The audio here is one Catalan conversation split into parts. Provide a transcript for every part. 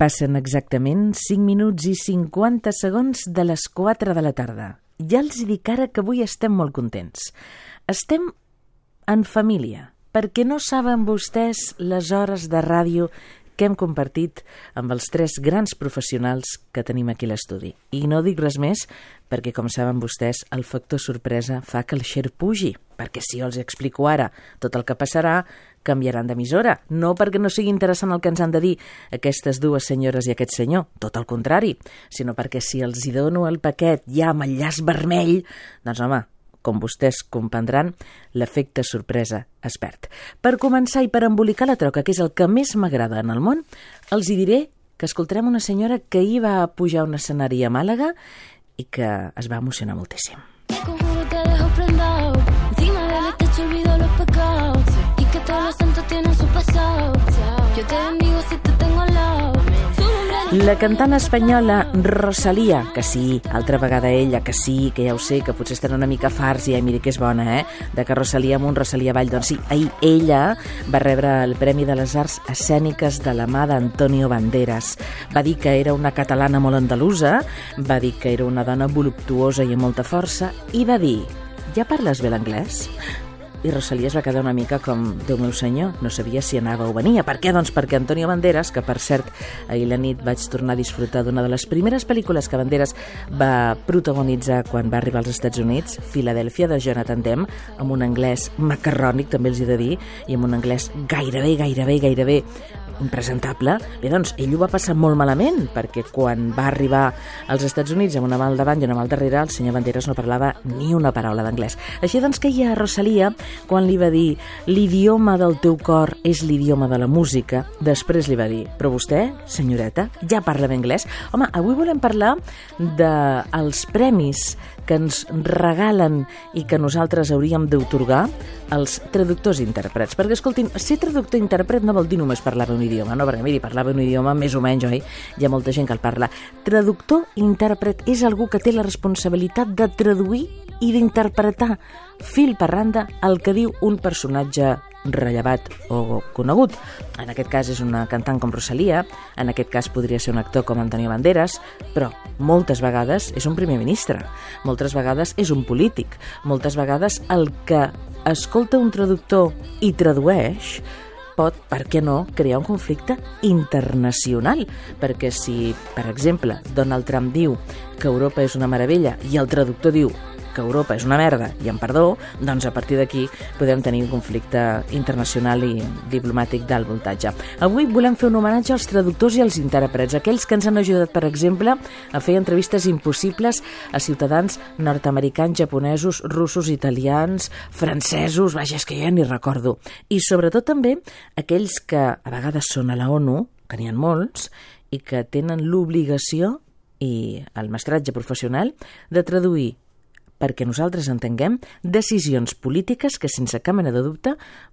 Passen exactament 5 minuts i 50 segons de les 4 de la tarda. Ja els dic ara que avui estem molt contents. Estem en família, perquè no saben vostès les hores de ràdio que hem compartit amb els 3 grans professionals que tenim aquí a l'estudi. I no dic res més perquè, com saben vostès, el factor sorpresa fa que el share pugi, perquè si jo els explico ara tot el que passarà, canviaran d'emissora. No perquè no sigui interessant el que ens han de dir aquestes dues senyores i aquest senyor, tot el contrari, sinó perquè si els hi dono el paquet ja amb el llaç vermell, doncs home, com vostès comprendran, l'efecte sorpresa es perd. Per començar i per embolicar la troca, que és el que més m'agrada en el món, els hi diré que escoltarem una senyora que ahir va pujar a un escenari a Màlaga i que es va emocionar moltíssim. La cantant espanyola Rosalía, que sí, altra vegada ella, que sí, que ja ho sé, que potser estan una mica farts i mira que és bona, de que Rosalía amunt, Rosalía avall. Doncs sí, ahir ella va rebre el Premi de les Arts Escèniques de la mà d'Antonio Banderas. Va dir que era una catalana molt andalusa, va dir que era una dona voluptuosa i amb molta força, i va dir, ja parles bé l'anglès? I Rosalía es va quedar una mica com, Déu meu senyor, no sabia si anava o venia. Per què? Doncs perquè Antonio Banderas, que per cert ahir la nit vaig tornar a disfrutar d'una de les primeres pel·lícules que Banderas va protagonitzar quan va arribar als Estats Units, Filadèlfia, de Jonathan Demme, amb un anglès macarrònic, també els he de dir, i amb un anglès gairebé impresentable. Bé, doncs, ell ho va passar molt malament, perquè quan va arribar als Estats Units amb una mà al davant i una mà al darrere, el senyor Banderas no parlava ni una paraula d'anglès. Així doncs que hi ha Rosalía, quan li va dir l'idioma del teu cor és l'idioma de la música, després li va dir, però vostè, senyoreta, ja parla bé anglès? Home, avui volem parlar dels premis que ens regalen i que nosaltres hauríem d'atorgar als traductors i intèrprets. Perquè, escoltin, ser traductor i intèrpret no vol dir només parlar un idioma, no? Perquè, miri, parlar un idioma més o menys, oi? Hi ha molta gent que el parla. Traductor i intèrpret és algú que té la responsabilitat de traduir i d'interpretar fil per randa el que diu un personatge rellevat o conegut. En aquest cas és una cantant com Rosalía, en aquest cas podria ser un actor com Antonio Banderas, però moltes vegades és un primer ministre, moltes vegades és un polític, moltes vegades el que escolta un traductor i tradueix pot, per què no, crear un conflicte internacional, perquè si, per exemple, Donald Trump diu que Europa és una meravella i el traductor diu que Europa és una merda, i amb perdó, doncs a partir d'aquí podem tenir un conflicte internacional i diplomàtic d'alt voltatge. Avui volem fer un homenatge als traductors i als intèrprets, aquells que ens han ajudat, per exemple, a fer entrevistes impossibles a ciutadans nord-americans, japonesos, russos, italians, francesos, vaja, és que ja ni recordo. I sobretot també aquells que a vegades són a la ONU, que n'hi ha molts, i que tenen l'obligació i el mestratge professional de traduir perquè nosaltres entenguem decisions polítiques que, sense cap mena de dubte,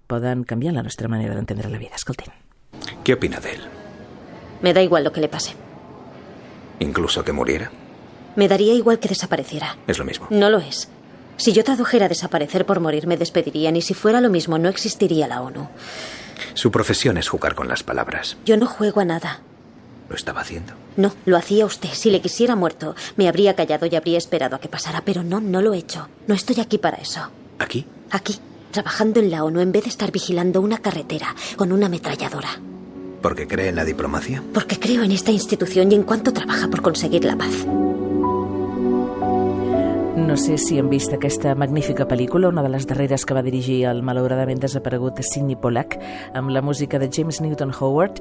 poden canviar la nostra manera d'entendre la vida. Escoltin. ¿Qué opina de él? Me da igual lo que le pase. ¿Incluso que muriera? Me daría igual que desapareciera. Es lo mismo. No lo es. Si yo tradujera desaparecer por morir, me despedirían, y si fuera lo mismo, no existiría la ONU. Su profesión es jugar con las palabras. Yo no juego a nada. ¿Lo estaba haciendo? No, lo hacía usted. Si le quisiera muerto, me habría callado y habría esperado a que pasara, pero no lo he hecho. No estoy aquí para eso. ¿Aquí? Aquí, trabajando en la ONU en vez de estar vigilando una carretera con una ametralladora. ¿Porque cree en la diplomacia? Porque creo en esta institución y en cuanto trabaja por conseguir la paz. No sé si han vist aquesta magnífica pel·lícula, una de les darreres que va dirigir el malauradament desaparegut Sidney Pollack, amb la música de James Newton Howard.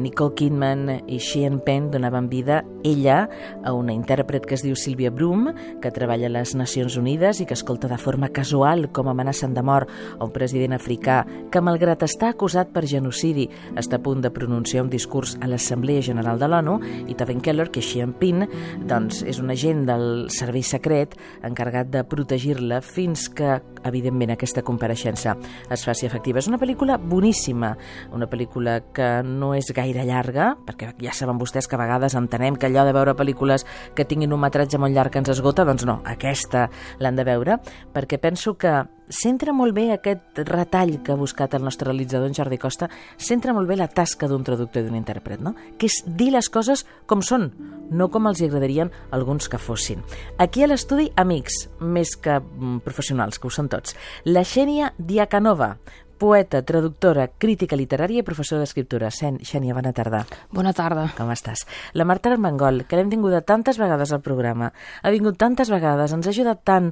Nicole Kidman i Sean Penn donaven vida, ella, a una intèrpret que es diu Sylvia Broom, que treballa a les Nacions Unides i que escolta de forma casual com amenacen de mort a un president africà que, malgrat estar acusat per genocidi, està a punt de pronunciar un discurs a l'Assemblea General de l'ONU, i Tobin Keller, que és Sean Penn, doncs és un agent del servei secret encarregat de protegir-la fins que, evidentment, aquesta compareixença es faci efectiva. És una pel·lícula boníssima, una pel·lícula que no és gaire llarga, perquè ja saben vostès que a vegades entenem que allò de veure pel·lícules que tinguin un metratge molt llarg que ens esgota, doncs no, aquesta l'han de veure, perquè penso que centra molt bé aquest retall que ha buscat el nostre realitzador, en Jordi Costa, centra molt bé la tasca d'un traductor i d'un intèrpret, no? Que és dir les coses com són, no com els agradarien alguns que fossin. Aquí a l'estudi, amics, més que professionals, que ho són tots. La Xènia Diacanova, poeta, traductora, crítica literària i professora d'escriptura. Xènia, bona tarda. Bona tarda. Com estàs? La Marta Armengol, que l'hem tinguda tantes vegades al programa, ha vingut tantes vegades, ens ha ajudat tant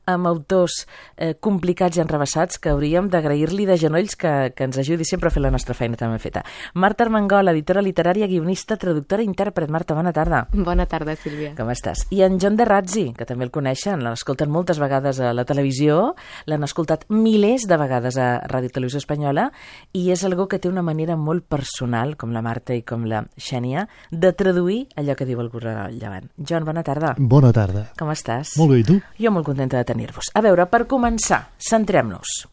amb autors complicats i enrevessats que hauríem d'agrair-li de genolls que ens ajudi sempre a fer la nostra feina tan ben feta. Marta Armengol, editora literària, guionista, traductora i intèrpret. Marta, bona tarda. Bona tarda, Sílvia. Com estàs? I en Jon de Razzi, que també el coneixen, l'escolten moltes vegades a la televisió, l'han escoltat milers de vegades a Ràdio Televisió Espanyola, i és algú que té una manera molt personal, com la Marta i com la Xènia, de traduir allò que diu el Llevant. Jon, bona tarda. Bona tarda. Com estàs? Molt bé, i tu? Jo molt contenta de tenir-vos. A veure, per començar, centrem-nos.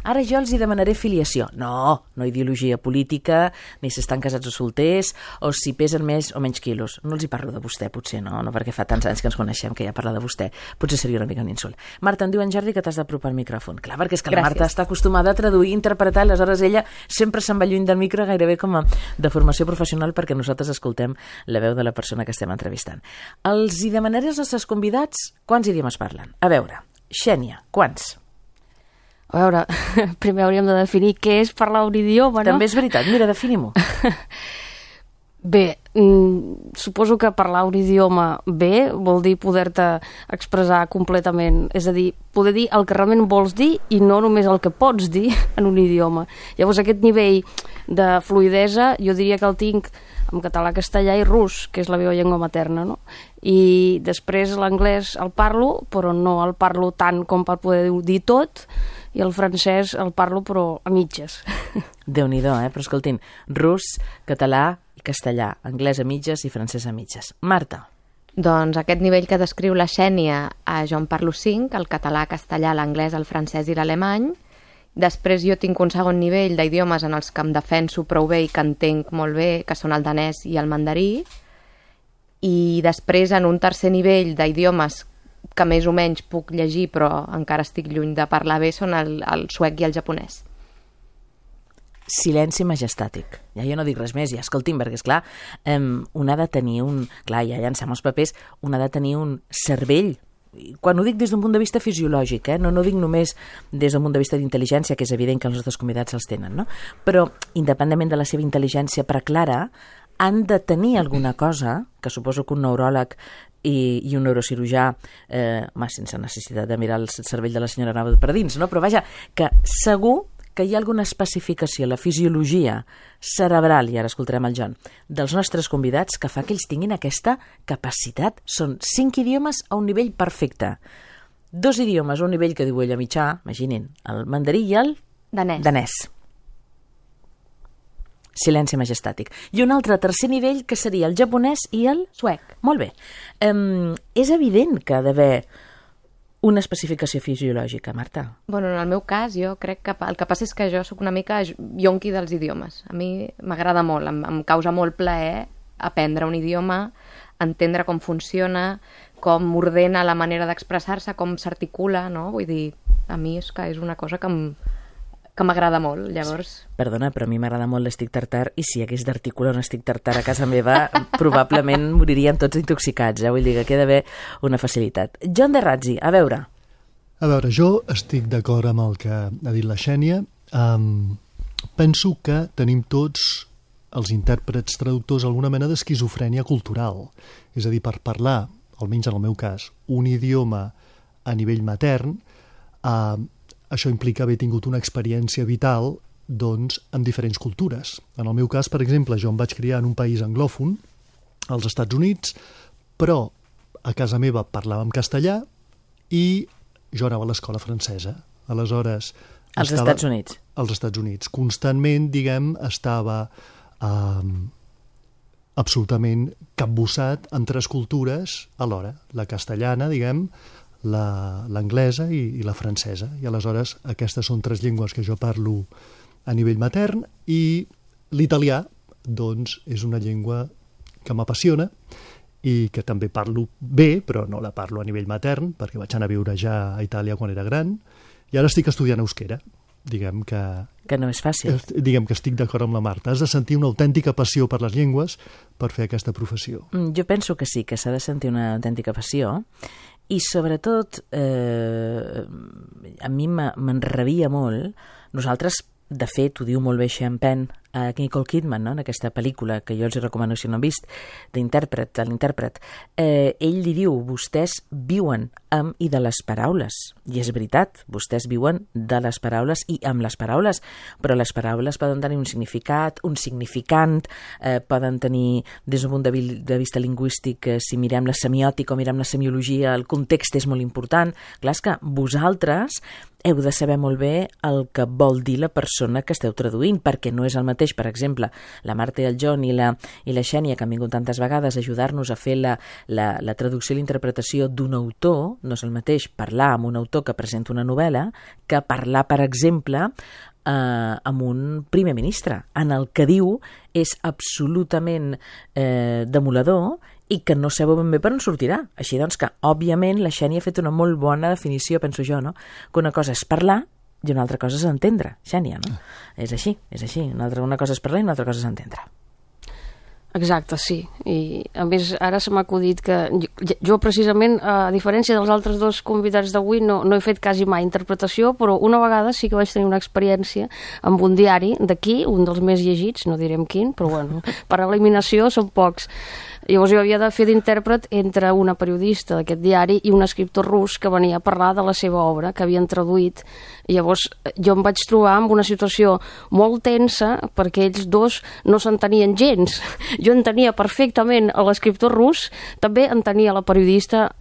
Ara jo els hi demanaré filiació. No ideologia política, ni si estan casats o solters, o si pesen més o menys quilos. No els hi parlo de vostè, potser, no perquè fa tants anys que ens coneixem que ja parla de vostè. Potser seria una mica un insult. Marta, em diu en Jordi que t'has d'apropar al micròfon. Clar, perquè és que la Marta està acostumada a traduir, interpretar, aleshores ella sempre se'n va lluny del micro, gairebé com a de formació professional, perquè nosaltres escoltem la veu de la persona que estem entrevistant. Els hi demanaré als nostres convidats quants idiomes parlen. A veure, Xènia, quants? A veure, primer hauríem de definir què és parlar un idioma, no? També és veritat, mira, definim-ho. Bé, suposo que parlar un idioma bé vol dir poder-te expressar completament, és a dir, poder dir el que realment vols dir i no només el que pots dir en un idioma. Llavors aquest nivell de fluïdesa jo diria que el tinc en català, castellà i rus, que és la meva llengua materna, no? I després l'anglès el parlo, però no el parlo tant com per poder dir tot, i el francès el parlo però a mitges. Déu-n'hi-do, però escoltin, rus, català i castellà, anglès a mitges i francès a mitges. Marta. Doncs aquest nivell que descriu la Xènia, jo en parlo 5, el català, castellà, l'anglès, el francès i l'alemany. Després jo tinc un segon nivell d'idiomes en els que em defenso prou bé i que entenc molt bé, que són el danès i el mandarí. I després en un tercer nivell d'idiomes que més o menys puc llegir però encara estic lluny de parlar bé són el suec i el japonès. Silenci majestàtic. Ja jo no dic res més, ja escolti'm, perquè esclar, un ha de tenir clar, ja llancem els papers, un ha de tenir un cervell. Quan ho dic des d'un punt de vista fisiològic, no dic només des d'un punt de vista d'intel·ligència, que és evident que els nostres convidats els tenen, no? Però, independentment de la seva intel·ligència preclara, han de tenir alguna cosa, que suposo que un neuròleg i un neurocirurgià, sense necessitat de mirar el cervell de la senyora Nava per dins, no? Però vaja, que segur que hi ha alguna especificació a la fisiologia cerebral, i ara escoltarem el Jon, dels nostres convidats que fa que ells tinguin aquesta capacitat. Són 5 idiomes a un nivell perfecte. 2 idiomes a un nivell que diu ella mitjà, imaginin, el mandarí i el danès. Silenci majestàtic. I un altre tercer nivell que seria el japonès i el suec. Molt bé. És evident que ha d'haver una especificació fisiològica, Marta. Bueno, en el meu cas, jo crec que el que passa és que jo sóc una mica yonqui dels idiomes. A mi m'agrada molt, em causa molt plaer aprendre un idioma, entendre com funciona, com ordena la manera d'expressar-se, com s'articula, no? Vull dir, a mi és que és una cosa que m'agrada molt, llavors... Perdona, però a mi m'agrada molt l'estic tartar, i si hagués d'articular un estic tartar a casa meva, probablement moririen tots intoxicats, Vull dir que queda bé una facilitat. Jon de Razzi, a veure, jo estic d'acord amb el que ha dit la Xènia. Penso que tenim tots els intèrprets traductors alguna mena d'esquizofrènia cultural. És a dir, per parlar, almenys en el meu cas, un idioma a nivell matern, això implica haver tingut una experiència vital en diferents cultures. En el meu cas, per exemple, jo em vaig criar en un país anglòfon, als Estats Units, però a casa meva parlàvem castellà i jo anava a l'escola francesa. Aleshores... Als Estats Units. Als Estats Units. Constantment, estava absolutament capbussat en 3 cultures alhora. La castellana, l'anglesa i la francesa. I aleshores aquestes són 3 llengües que jo parlo a nivell matern, i l'italià, és una llengua que m'apassiona i que també parlo bé, però no la parlo a nivell matern, perquè vaig anar a viure ja a Itàlia quan era gran, I ara estic estudiant euskera. Diguem que no és fàcil. Diguem que estic d'acord amb la Marta. Has de sentir una autèntica passió per les llengües per fer aquesta professió. Jo penso que sí, que s'ha de sentir una autèntica passió, i sobretot a mi m'enrabia molt. Nosaltres, de fet, ho diu molt bé Sean Penn a Nicole Kidman, no? En aquesta pel·lícula que jo els recomano si no han vist, de l'intèrpret. Ell li diu, vostès viuen amb i de les paraules. I és veritat, vostès viuen de les paraules i amb les paraules, però les paraules poden tenir un significat, un significant, poden tenir, des d'un punt de vista lingüístic, si mirem la semiòtica o mirem la semiologia, el context és molt important. Clar, és que vosaltres heu de saber molt bé el que vol dir la persona que esteu traduint, perquè no és el mateix, per exemple, la Marta i el John i la Xènia, que han vingut tantes vegades a ajudar-nos a fer la traducció i l'interpretació d'un autor, no és el mateix parlar amb un autor que presenta una novel·la que parlar, per exemple, amb un primer ministre, en el que diu és absolutament demoledor i que no sabeu ben bé per on sortirà. Així doncs que, òbviament, la Xènia ha fet una molt bona definició, penso jo, no? Que una cosa és parlar i una altra cosa és entendre, Xènia, no? És així. Una cosa és parlar i una altra cosa és entendre. Exacte, sí. I a més, ara se m'ha acudit que jo precisament, a diferència dels altres dos convidats d'avui, no he fet quasi mai interpretació, però una vegada sí que vaig tenir una experiència amb un diari d'aquí, un dels més llegits, no direm quin, però bueno, per eliminació són pocs. Llavors jo havia de fer d'intèrpret entre una periodista d'aquest diari i un escriptor rus que venia a parlar de la seva obra, que havien traduït. Llavors jo em vaig trobar amb una situació molt tensa perquè ells dos no s'entenien gens. Jo entenia perfectament l'escriptor rus, també entenia la periodista,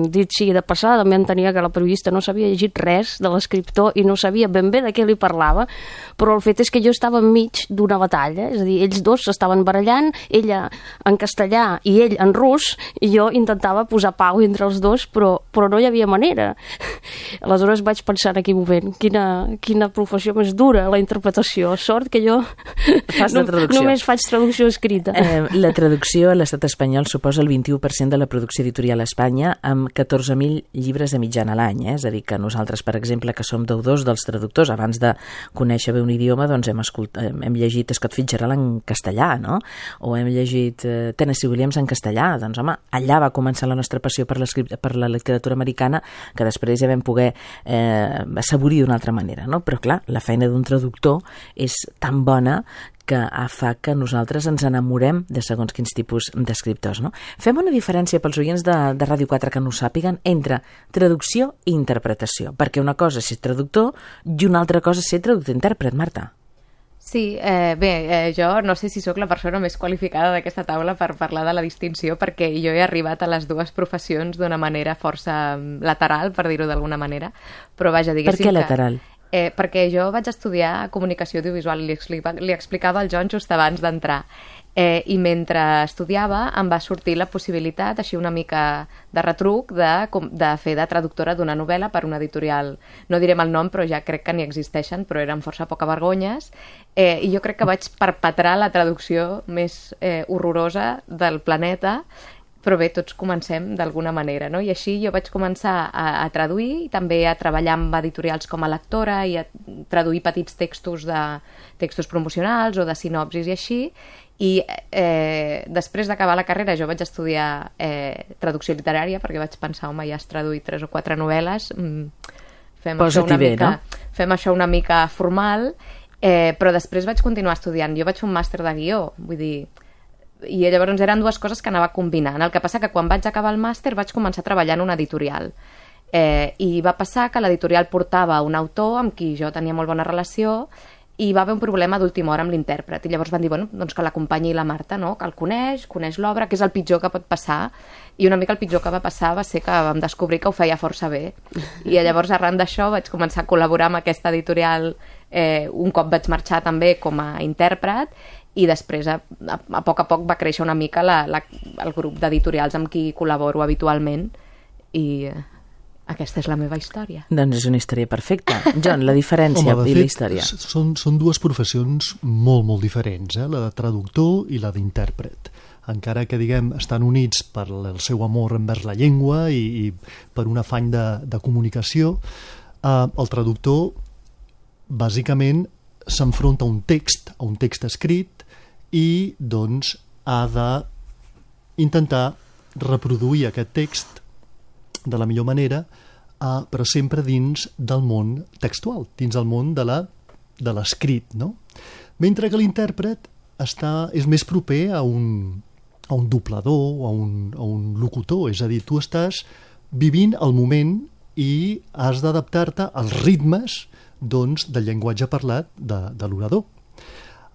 dit sigui de passada, també entenia que la periodista no s'havia llegit res de l'escriptor i no sabia ben bé de què li parlava, però el fet és que jo estava enmig d'una batalla, és a dir, ells dos s'estaven barallant, ella en castellà i ell en rus, i jo intentava posar pau entre els dos, però no hi havia manera. Aleshores vaig pensar en aquell moment, quina professió més dura, la interpretació. Sort que jo només faig traducció escrita. La traducció a l'estat espanyol suposa el 21% de la producció editorial a Espanya, amb 14.000 llibres de mitjana a l'any. És a dir, que nosaltres, per exemple, que som deudors dels traductors, abans de conèixer bé un idioma, doncs hem llegit Scott Fitzgerald en castellà, no? O hem llegit Tennessee Williams en castellà. Doncs, home, allà va començar la nostra passió per la literatura americana, que després ja vam poder assaborir d'una altra manera, no? Però, clar, la feina d'un traductor és tan bona que fa que nosaltres ens enamorem de segons quins tipus d'escriptors, no? Fem una diferència pels oients de Ràdio 4 que no ho sàpiguen entre traducció i interpretació, perquè una cosa és ser traductor i una altra cosa és ser traductor-intèrpret, Marta. Sí, jo no sé si sóc la persona més qualificada d'aquesta taula per parlar de la distinció, perquè jo he arribat a les dues professions d'una manera força lateral, per dir-ho d'alguna manera, però vaja, diguéssim Per què lateral? Perquè jo vaig estudiar comunicació audiovisual, li explicava al John just abans d'entrar, i mentre estudiava em va sortir la possibilitat, així una mica de retruc, de fer de traductora d'una novel·la per una editorial. No direm el nom, però ja crec que n'hi existeixen, però eren força poca vergonyes, i jo crec que vaig perpetrar la traducció més horrorosa del planeta. Però bé, tots comencem d'alguna manera, no? I així jo vaig començar a traduir i també a treballar amb editorials com a lectora i a traduir petits textos promocionals o de sinopsis i així. I després d'acabar la carrera jo vaig estudiar traducció literària, perquè vaig pensar, home, ja has traduït 3 o 4 novel·les, fem això una mica formal, però després vaig continuar estudiant. Jo vaig fer un màster de guió, vull dir, i llavors eren dues coses que anava combinant. El que passa que quan vaig acabar el màster vaig començar a treballar en una editorial, i va passar que l'editorial portava un autor amb qui jo tenia molt bona relació i va haver un problema d'última hora amb l'intèrpret, i llavors van dir, bueno, doncs que l'acompanyi la Marta, no? Que el coneix l'obra, que és el pitjor que pot passar, i una mica el pitjor que va passar va ser que vam descobrir que ho feia força bé, i llavors arran d'això vaig començar a col·laborar amb aquesta editorial, un cop vaig marxar també com a intèrpret, i després a poc va créixer una mica el grup d'editorials amb qui col·laboro habitualment, i aquesta és la meva història. Doncs és una història perfecta. John, la diferència i la història. Són dues professions molt, molt diferents, la de traductor i la d'intèrpret. Encara que, diguem, estan units per el seu amor envers la llengua i per un afany de comunicació, el traductor bàsicament s'enfronta a un text escrit i doncs ha d'intentar reproduir aquest text de la millor manera, però sempre dins del món textual, dins el món de l'escrit, no? Mentre que l'intèrpret és més proper a un doblador, a un locutor, és a dir, tu estàs vivint el moment i has d'adaptar-te als ritmes doncs, del llenguatge parlat de l'orador.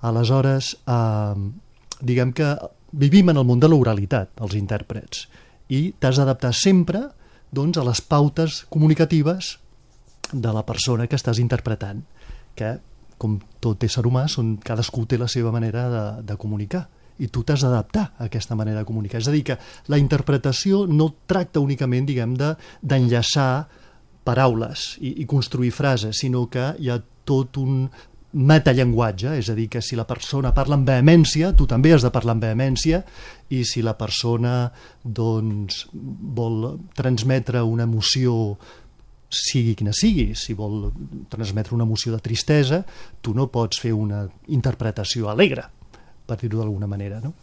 Aleshores, diguem que vivim en el món de l'oralitat, els intèrprets, i t'has d'adaptar sempre doncs, a les pautes comunicatives de la persona que estàs interpretant, que, com tot ésser humà, cadascú té la seva manera de comunicar, i tu t'has d'adaptar a aquesta manera de comunicar. És a dir, que la interpretació no tracta únicament, diguem, d'enllaçar paraules i construir frases, sinó que hi ha tot un metallenguatge, és a dir, que si la persona parla amb vehemència, tu també has de parlar amb vehemència, i si la persona doncs, vol transmetre una emoció, sigui quina sigui, si vol transmetre una emoció de tristesa, tu no pots fer una interpretació alegre, per dir-ho d'alguna manera, no?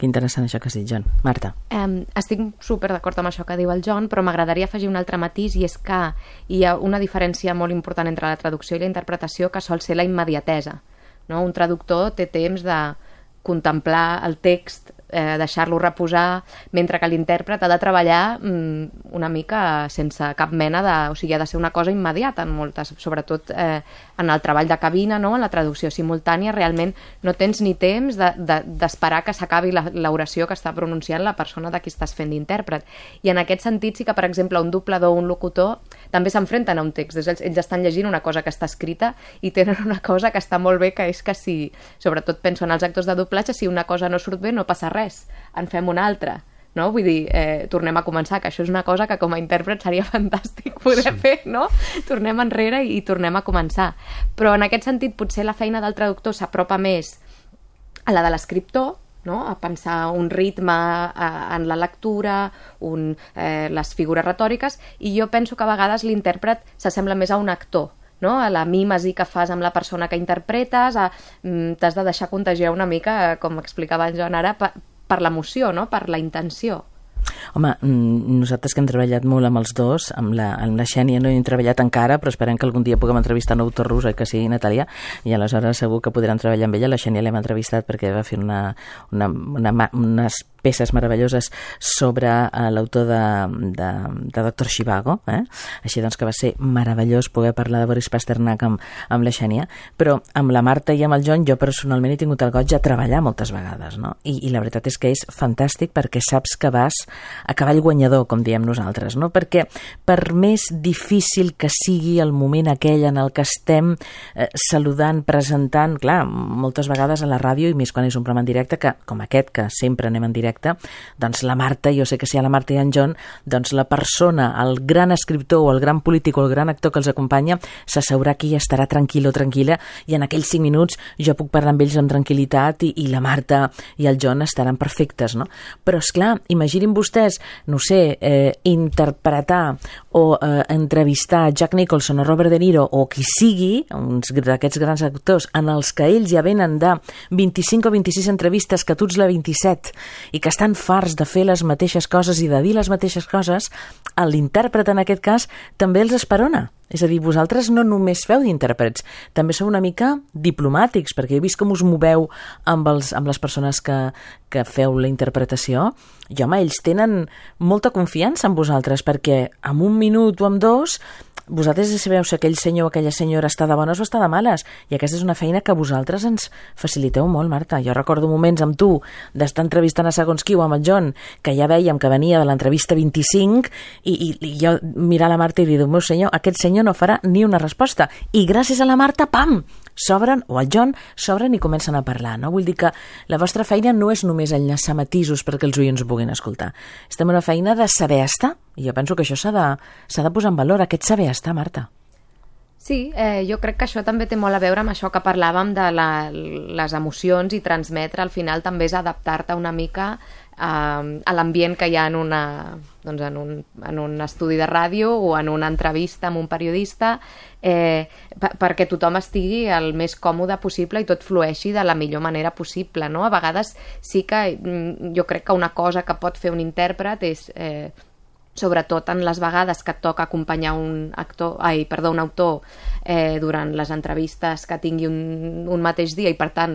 Que interessant això que has dit, John. Marta. Estic super d'acord amb això que diu el John, però m'agradaria afegir un altre matís, i és que hi ha una diferència molt important entre la traducció i la interpretació, que sol ser la immediatesa, no? Un traductor té temps de contemplar el text, deixar-lo reposar, mentre que l'intèrpret ha de treballar una mica sense cap mena de... O sigui, ha de ser una cosa immediata en moltes, sobretot en el treball de cabina, no? En la traducció simultània, realment no tens ni temps d'esperar que s'acabi l'oració que està pronunciant la persona de qui estàs fent d'intèrpret. I en aquest sentit sí que, per exemple, un doblador o un locutor també s'enfrenten a un text. Ells estan llegint una cosa que està escrita i tenen una cosa que està molt bé, que és que si, sobretot penso en els actors de doblatge, si una cosa no surt bé no passa res, en fem una altra, no? Vull dir, tornem a començar, que això és una cosa que com a intèrpret seria fantàstic poder fer, no? Tornem enrere i tornem a començar. Però en aquest sentit potser la feina del traductor s'apropa més a la de l'escriptor, no? A pensar un ritme en la lectura, les figures retòriques, i jo penso que a vegades l'intèrpret s'assembla més a un actor, no? A la mímesi que fas amb la persona que interpretes, t'has de deixar contagiar una mica, com explicava en Joan ara, per l'emoció, no? Per la intenció. Home, nosaltres que hem treballat molt amb els dos, amb la Xènia no hi hem treballat encara, però esperem que algun dia puguem entrevistar un autor rus, que sigui Natàlia, i aleshores segur que podrem treballar amb ella. La Xènia l'hem entrevistat perquè va fer unes peces meravelloses sobre l'autor de Doctor Zhivago, així doncs que va ser meravellós poder parlar de Boris Pasternak amb la Xènia, però amb la Marta i amb el John jo personalment he tingut el goig de treballar moltes vegades, no? I la veritat és que és fantàstic perquè saps que vas a cavall guanyador, com diem nosaltres, no? Perquè per més difícil que sigui el moment aquell en el que estem saludant, presentant, clar, moltes vegades a la ràdio, i més quan és un programa en directe, que com aquest, que sempre anem en directe, doncs la Marta, jo sé que si hi ha la Marta i en John, doncs la persona, el gran escriptor o el gran polític o el gran actor que els acompanya s'asseurà aquí i estarà tranquil o tranquil·la, i en aquells 5 minuts jo puc parlar amb ells amb tranquil·litat i la Marta i el John estaran perfectes, no? Però esclar, imaginin vostès, no sé, interpretar o entrevistar Jack Nicholson o Robert De Niro o qui sigui, uns d'aquests grans actors en els que ells ja venen de 25 o 26 entrevistes, que tu ets la 27, i que estan farts de fer les mateixes coses i de dir les mateixes coses, l'intèrpret en aquest cas també els esperona. És a dir, vosaltres no només feu d'intèrprets, també sou una mica diplomàtics, perquè he vist com us moveu amb les persones que feu la interpretació, i home, ells tenen molta confiança en vosaltres, perquè en 1 minut o en 2 vosaltres sabeu si aquell senyor o aquella senyora està de bones o està de males, i aquesta és una feina que vosaltres ens faciliteu molt, Marta. Jo recordo moments amb tu d'estar entrevistant a segons qui o amb el John, que ja vèiem que venia de l'entrevista 25, i jo mirar la Marta i dir, meu senyor, aquest senyor no farà ni una resposta, i gràcies a la Marta, pam, s'obren, o al John, s'obren i comencen a parlar, no? Vull dir que la vostra feina no és només enllaçar matisos perquè els oients ho puguin escoltar. Estem en una feina de saber estar, i jo penso que això s'ha de posar en valor, aquest saber estar, Marta. Sí, jo crec que això també té molt a veure amb això que parlàvem de les emocions, i transmetre al final també és adaptar-te una mica a l'ambient que hi ha en un estudi de ràdio o en una entrevista amb un periodista, perquè tothom estigui el més còmode possible i tot flueixi de la millor manera possible, no? A vegades sí que jo crec que una cosa que pot fer un intèrpret és, sobretot en les vegades que et toca acompanyar un autor durant les entrevistes que tingui un mateix dia i per tant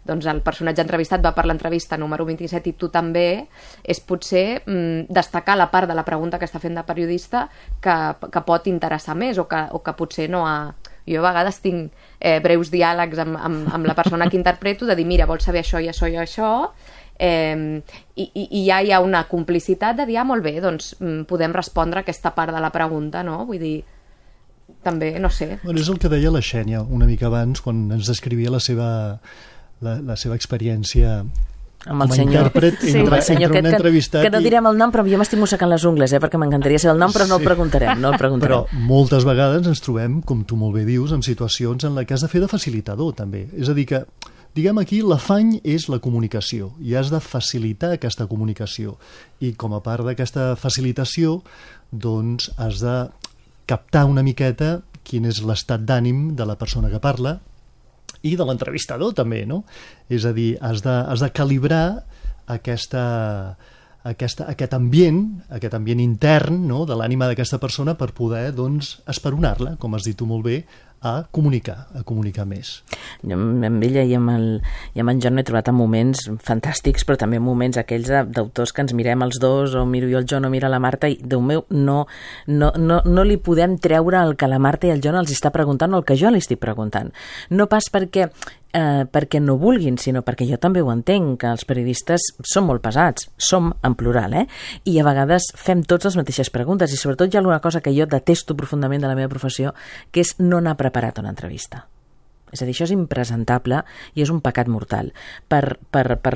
doncs el personatge entrevistat va per l'entrevista número 27 i tu també, és potser destacar la part de la pregunta que està fent de periodista que pot interessar més o que potser no ha... Jo a vegades tinc breus diàlegs amb la persona que interpreto de dir, mira, vols saber això i això i això, i ja hi ha una complicitat de dir, molt bé, doncs podem respondre a aquesta part de la pregunta, no? Vull dir, també, no sé. Bueno, és el que deia la Xènia una mica abans, quan ens descrivia la seva experiència amb el senyor, entre un entrevistat que no direm el nom, però jo m'estic mossegant les ungles, perquè m'encantaria saber el nom, però no el preguntarem. Però moltes vegades ens trobem, com tu molt bé dius, en situacions en què has de fer de facilitador, també. És a dir que, diguem aquí, l'afany és la comunicació, i has de facilitar aquesta comunicació. I com a part d'aquesta facilitació, doncs has de captar una miqueta quin és l'estat d'ànim de la persona que parla, i de l'entrevistador també, no? És a dir, has de calibrar aquest ambient intern, no?, de l'ànima d'aquesta persona per poder, doncs, esperonar-la, com has dit tu molt bé, a comunicar més. Jo amb ella i amb en John he trobat en moments fantàstics, però també en moments aquells d'autors que ens mirem els dos, o miro jo el John o mira la Marta, i Déu meu, no li podem treure el que la Marta i el John els està preguntant o el que jo li estic preguntant. No pas perquè no vulguin, sinó perquè jo també ho entenc, que els periodistes són molt pesats, som en plural, i a vegades fem tots les mateixes preguntes, i sobretot hi ha alguna cosa que jo detesto profundament de la meva professió, que és no anar preparat una entrevista. És a dir, això és impresentable i és un pecat mortal per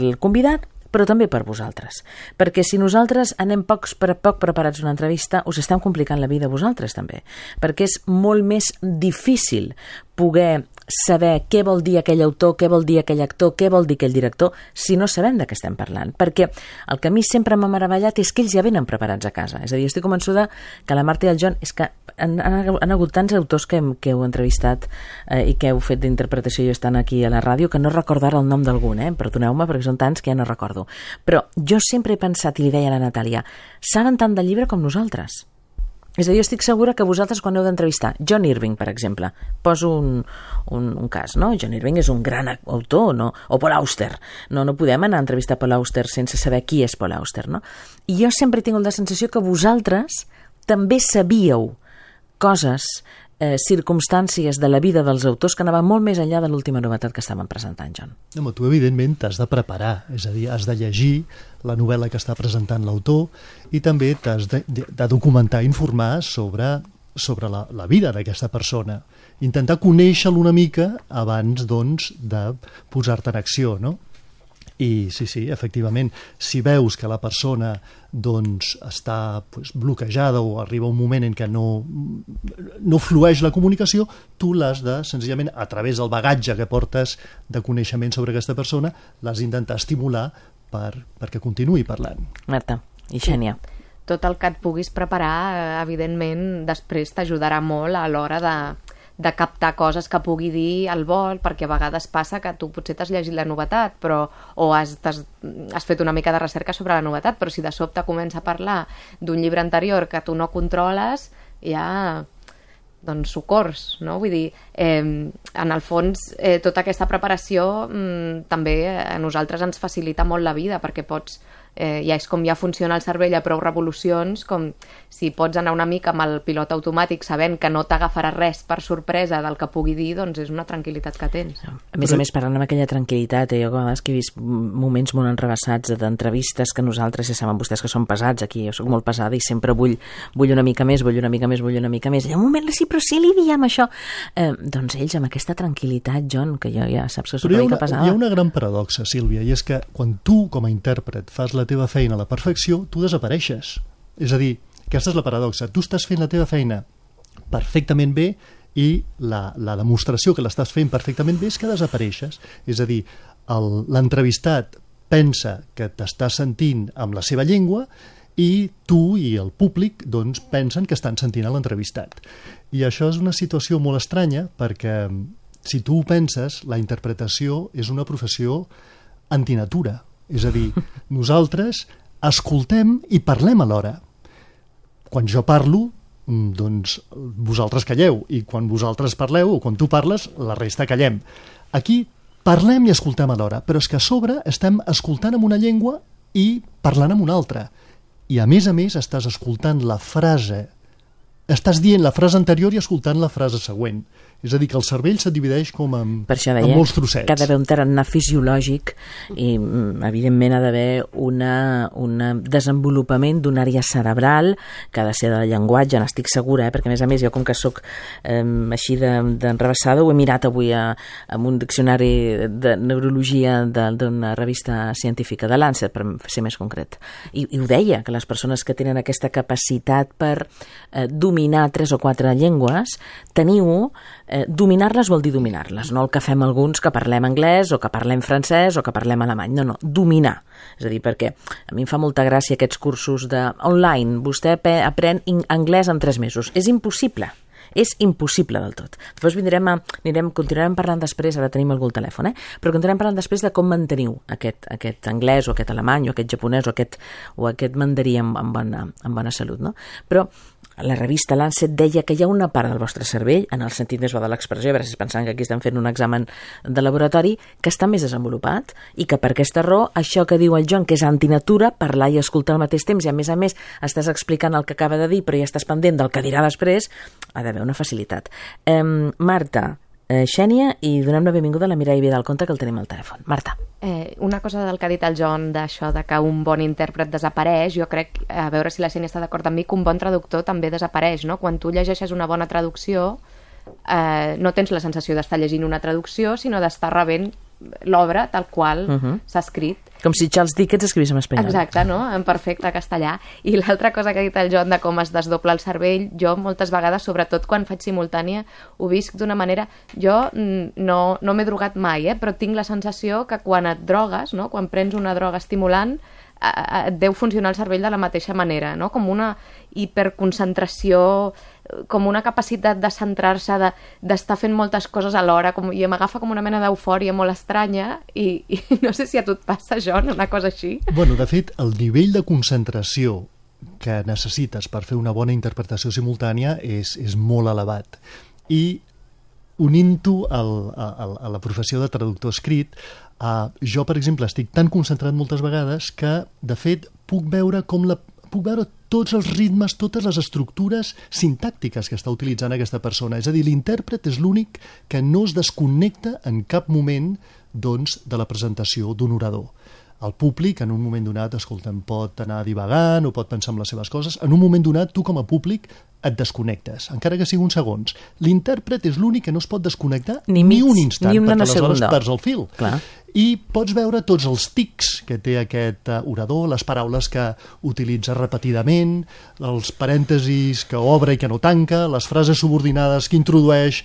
el convidat, però també per vosaltres. Perquè si nosaltres anem poc preparats a una entrevista, us estem complicant la vida a vosaltres també. Perquè és molt més difícil poder saber què vol dir aquell autor, què vol dir aquell actor, què vol dir aquell director, si no sabem de què estem parlant. Perquè el que a mi sempre m'ha meravellat és que ells ja venen preparats a casa. És a dir, estic convençuda que la Marta i el John, és que han hagut tants autors que heu entrevistat i que heu fet d'interpretació i estan aquí a la ràdio, que no recordo ara el nom d'algun, perdoneu-me, perquè són tants que ja no recordo. Però jo sempre he pensat, i li deia a la Natàlia, saben tant del llibre com nosaltres. És a dir, jo estic segura que vosaltres quan heu d'entrevistar John Irving, per exemple, poso un cas, no? John Irving és un gran autor, no? O Paul Auster. No podem anar a entrevistar Paul Auster sense saber qui és Paul Auster, no? I jo sempre he tingut la sensació que vosaltres també sabíeu coses, circumstàncies de la vida dels autors que anaven molt més enllà de l'última novetat que estaven presentant, John. No, tu evidentment t'has de preparar, és a dir, has de llegir la novel·la que està presentant l'autor i també t'has de documentar, informar sobre la vida d'aquesta persona. Intentar conèixer-lo una mica abans, doncs, de posar-te en acció, no? I sí, efectivament, si veus que la persona doncs, està bloquejada o arriba un moment en què no flueix la comunicació, tu l'has de, senzillament, a través del bagatge que portes de coneixement sobre aquesta persona, l'has d'intentar estimular perquè continuï parlant. Marta i Xènia. Tot el que et puguis preparar, evidentment, després t'ajudarà molt a l'hora de captar coses que pugui dir al vol, perquè a vegades passa que tu potser t'has llegit la novetat o has fet una mica de recerca sobre la novetat, però si de sobte comença a parlar d'un llibre anterior que tu no controles, ja doncs socors, no? Vull dir, en el fons tota aquesta preparació també a nosaltres ens facilita molt la vida, perquè pots ja és com ja funciona el cervell a prou revolucions, com si pots anar una mica amb el pilot automàtic sabent que no t'agafarà res per sorpresa del que pugui dir, doncs és una tranquil·litat que tens. A més, parlant amb aquella tranquil·litat, jo a vegades que he vist moments molt enreveçats d'entrevistes que nosaltres, ja saben vostès que són pesats aquí, jo soc molt pesada i sempre vull una mica més, I hi ha un moment, sí, però sí li diem això. Doncs ells amb aquesta tranquil·litat, John, que jo ja saps que soc una mica pesada. Hi ha una gran paradoxa, Sílvia, i és que quan tu com a intèrpret fas la teva feina a la perfecció, tu desapareixes. És a dir, aquesta és la paradoxa. Tu estàs fent la teva feina perfectament bé i la demostració que l'estàs fent perfectament bé és que desapareixes. És a dir, l'entrevistat pensa que t'estàs sentint amb la seva llengua i tu i el públic doncs, pensen que estan sentint a l'entrevistat. I això és una situació molt estranya perquè, si tu ho penses, la interpretació és una professió antinatura. És a dir, nosaltres escoltem i parlem alhora. Quan jo parlo, doncs vosaltres calleu, i quan vosaltres parleu o quan tu parles, la resta callem. Aquí parlem i escoltem alhora, però és que a sobre estem escoltant amb una llengua i parlant amb una altra. I a més, estàs escoltant la frase, estàs dient la frase anterior i escoltant la frase següent. És a dir, que el cervell se't divideix com en molts trossets. Que ha d'haver un tarannà fisiològic i, evidentment, ha d'haver un desenvolupament d'una àrea cerebral que ha de ser del llenguatge, n'estic segura, perquè, a més, jo, com que sóc així d'enrevessada, ho he mirat avui amb un diccionari de neurologia d'una revista científica de Lancet, per ser més concret. I ho deia, que les persones que tenen aquesta capacitat per dominar 3 o 4 llengües, teniu dominar-les vol dir dominar-les, no el que fem alguns que parlem anglès o que parlem francès o que parlem alemany, no, dominar. És a dir, perquè a mi em fa molta gràcia aquests cursos online, vostè aprèn anglès en 3 mesos. És impossible del tot. Després continuarem parlant després, ara tenim algú al telèfon, però continuarem parlant després de com manteniu aquest anglès o aquest alemany o aquest japonès o aquest mandarí amb bona salut, no? Però la revista Lancet deia que hi ha una part del vostre cervell, en el sentit més bo de l'expressió, a veure si pensant que aquí estem fent un examen de laboratori, que està més desenvolupat i que per aquesta raó, això que diu el John, que és antinatura, parlar i escoltar al mateix temps, i a més estàs explicant el que acaba de dir però ja estàs pendent del que dirà després, ha d'haver una facilitat. Marta, Xènia, i donem la benvinguda a la Mireia Vidal Conte, que el tenim al telèfon. Marta. Una cosa del que ha dit el John d'això de que un bon intèrpret desapareix, jo crec, a veure si la Xènia està d'acord amb mi, que un bon traductor també desapareix, no? Quan tu llegeixes una bona traducció, no tens la sensació d'estar llegint una traducció, sinó d'estar rebent l'obra tal qual s'ha escrit. Com si Charles Dickens escrivís en espanyol. Exacte, no? En perfecte castellà. I l'altra cosa que ha dit el John de com es desdobla el cervell, jo moltes vegades, sobretot quan faig simultània, ho visc d'una manera... Jo no m'he drogat mai, però tinc la sensació que quan et drogues, no? Quan prens una droga estimulant, et deu funcionar el cervell de la mateixa manera, no? Com una hiperconcentració, com una capacitat de centrar-se, d'estar fent moltes coses alhora, i m'agafa com una mena d'eufòria molt estranya, i no sé si a tu et passa, John, una cosa així. Bueno, de fet, el nivell de concentració que necessites per fer una bona interpretació simultània és molt elevat. I unint-ho a la professió de traductor escrit, jo, per exemple, estic tan concentrat moltes vegades que, de fet, puc veure tots els ritmes, totes les estructures sintàctiques que està utilitzant aquesta persona. És a dir, l'intèrpret és l'únic que no es desconnecta en cap moment, doncs, de la presentació d'un orador. El públic, en un moment donat, pot anar divagant o pot pensar en les seves coses. En un moment donat, tu com a públic et desconnectes, encara que sigui uns segons. L'intèrpret és l'únic que no es pot desconnectar ni un instant, perquè aleshores perds el fil. Clar. I pots veure tots els tics que té aquest orador, les paraules que utilitza repetidament, els parèntesis que obre i que no tanca, les frases subordinades que introdueix,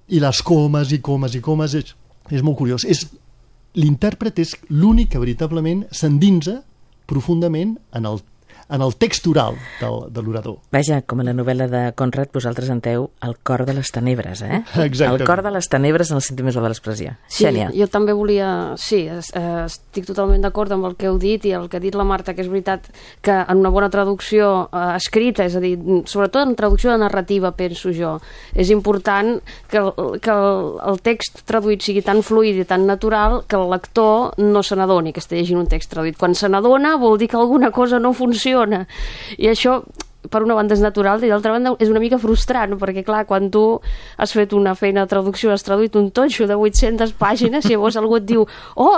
i les comes i comes i comes. És molt curiós. L'intèrpret és l'únic que veritablement s'endinsa profundament en el text oral de l'orador. Vaja, com a la novel·la de Conrad, vosaltres enteu el cor de les tenebres, Exactament. El cor de les tenebres en el sentit més bo de l'expressió. Xènia. Sí, jo també volia... Sí, estic totalment d'acord amb el que heu dit i el que ha dit la Marta, que és veritat que en una bona traducció escrita, és a dir, sobretot en traducció de narrativa, penso jo, és important que el text traduït sigui tan fluid i tan natural que el lector no se n'adoni que està llegint un text traduït. Quan se n'adona vol dir que alguna cosa no funciona. I això, per una banda, és natural, i d'altra banda és una mica frustrant, perquè clar, quan tu has fet una feina de traducció, has traduït un totxo de 800 pàgines i llavors algú et diu,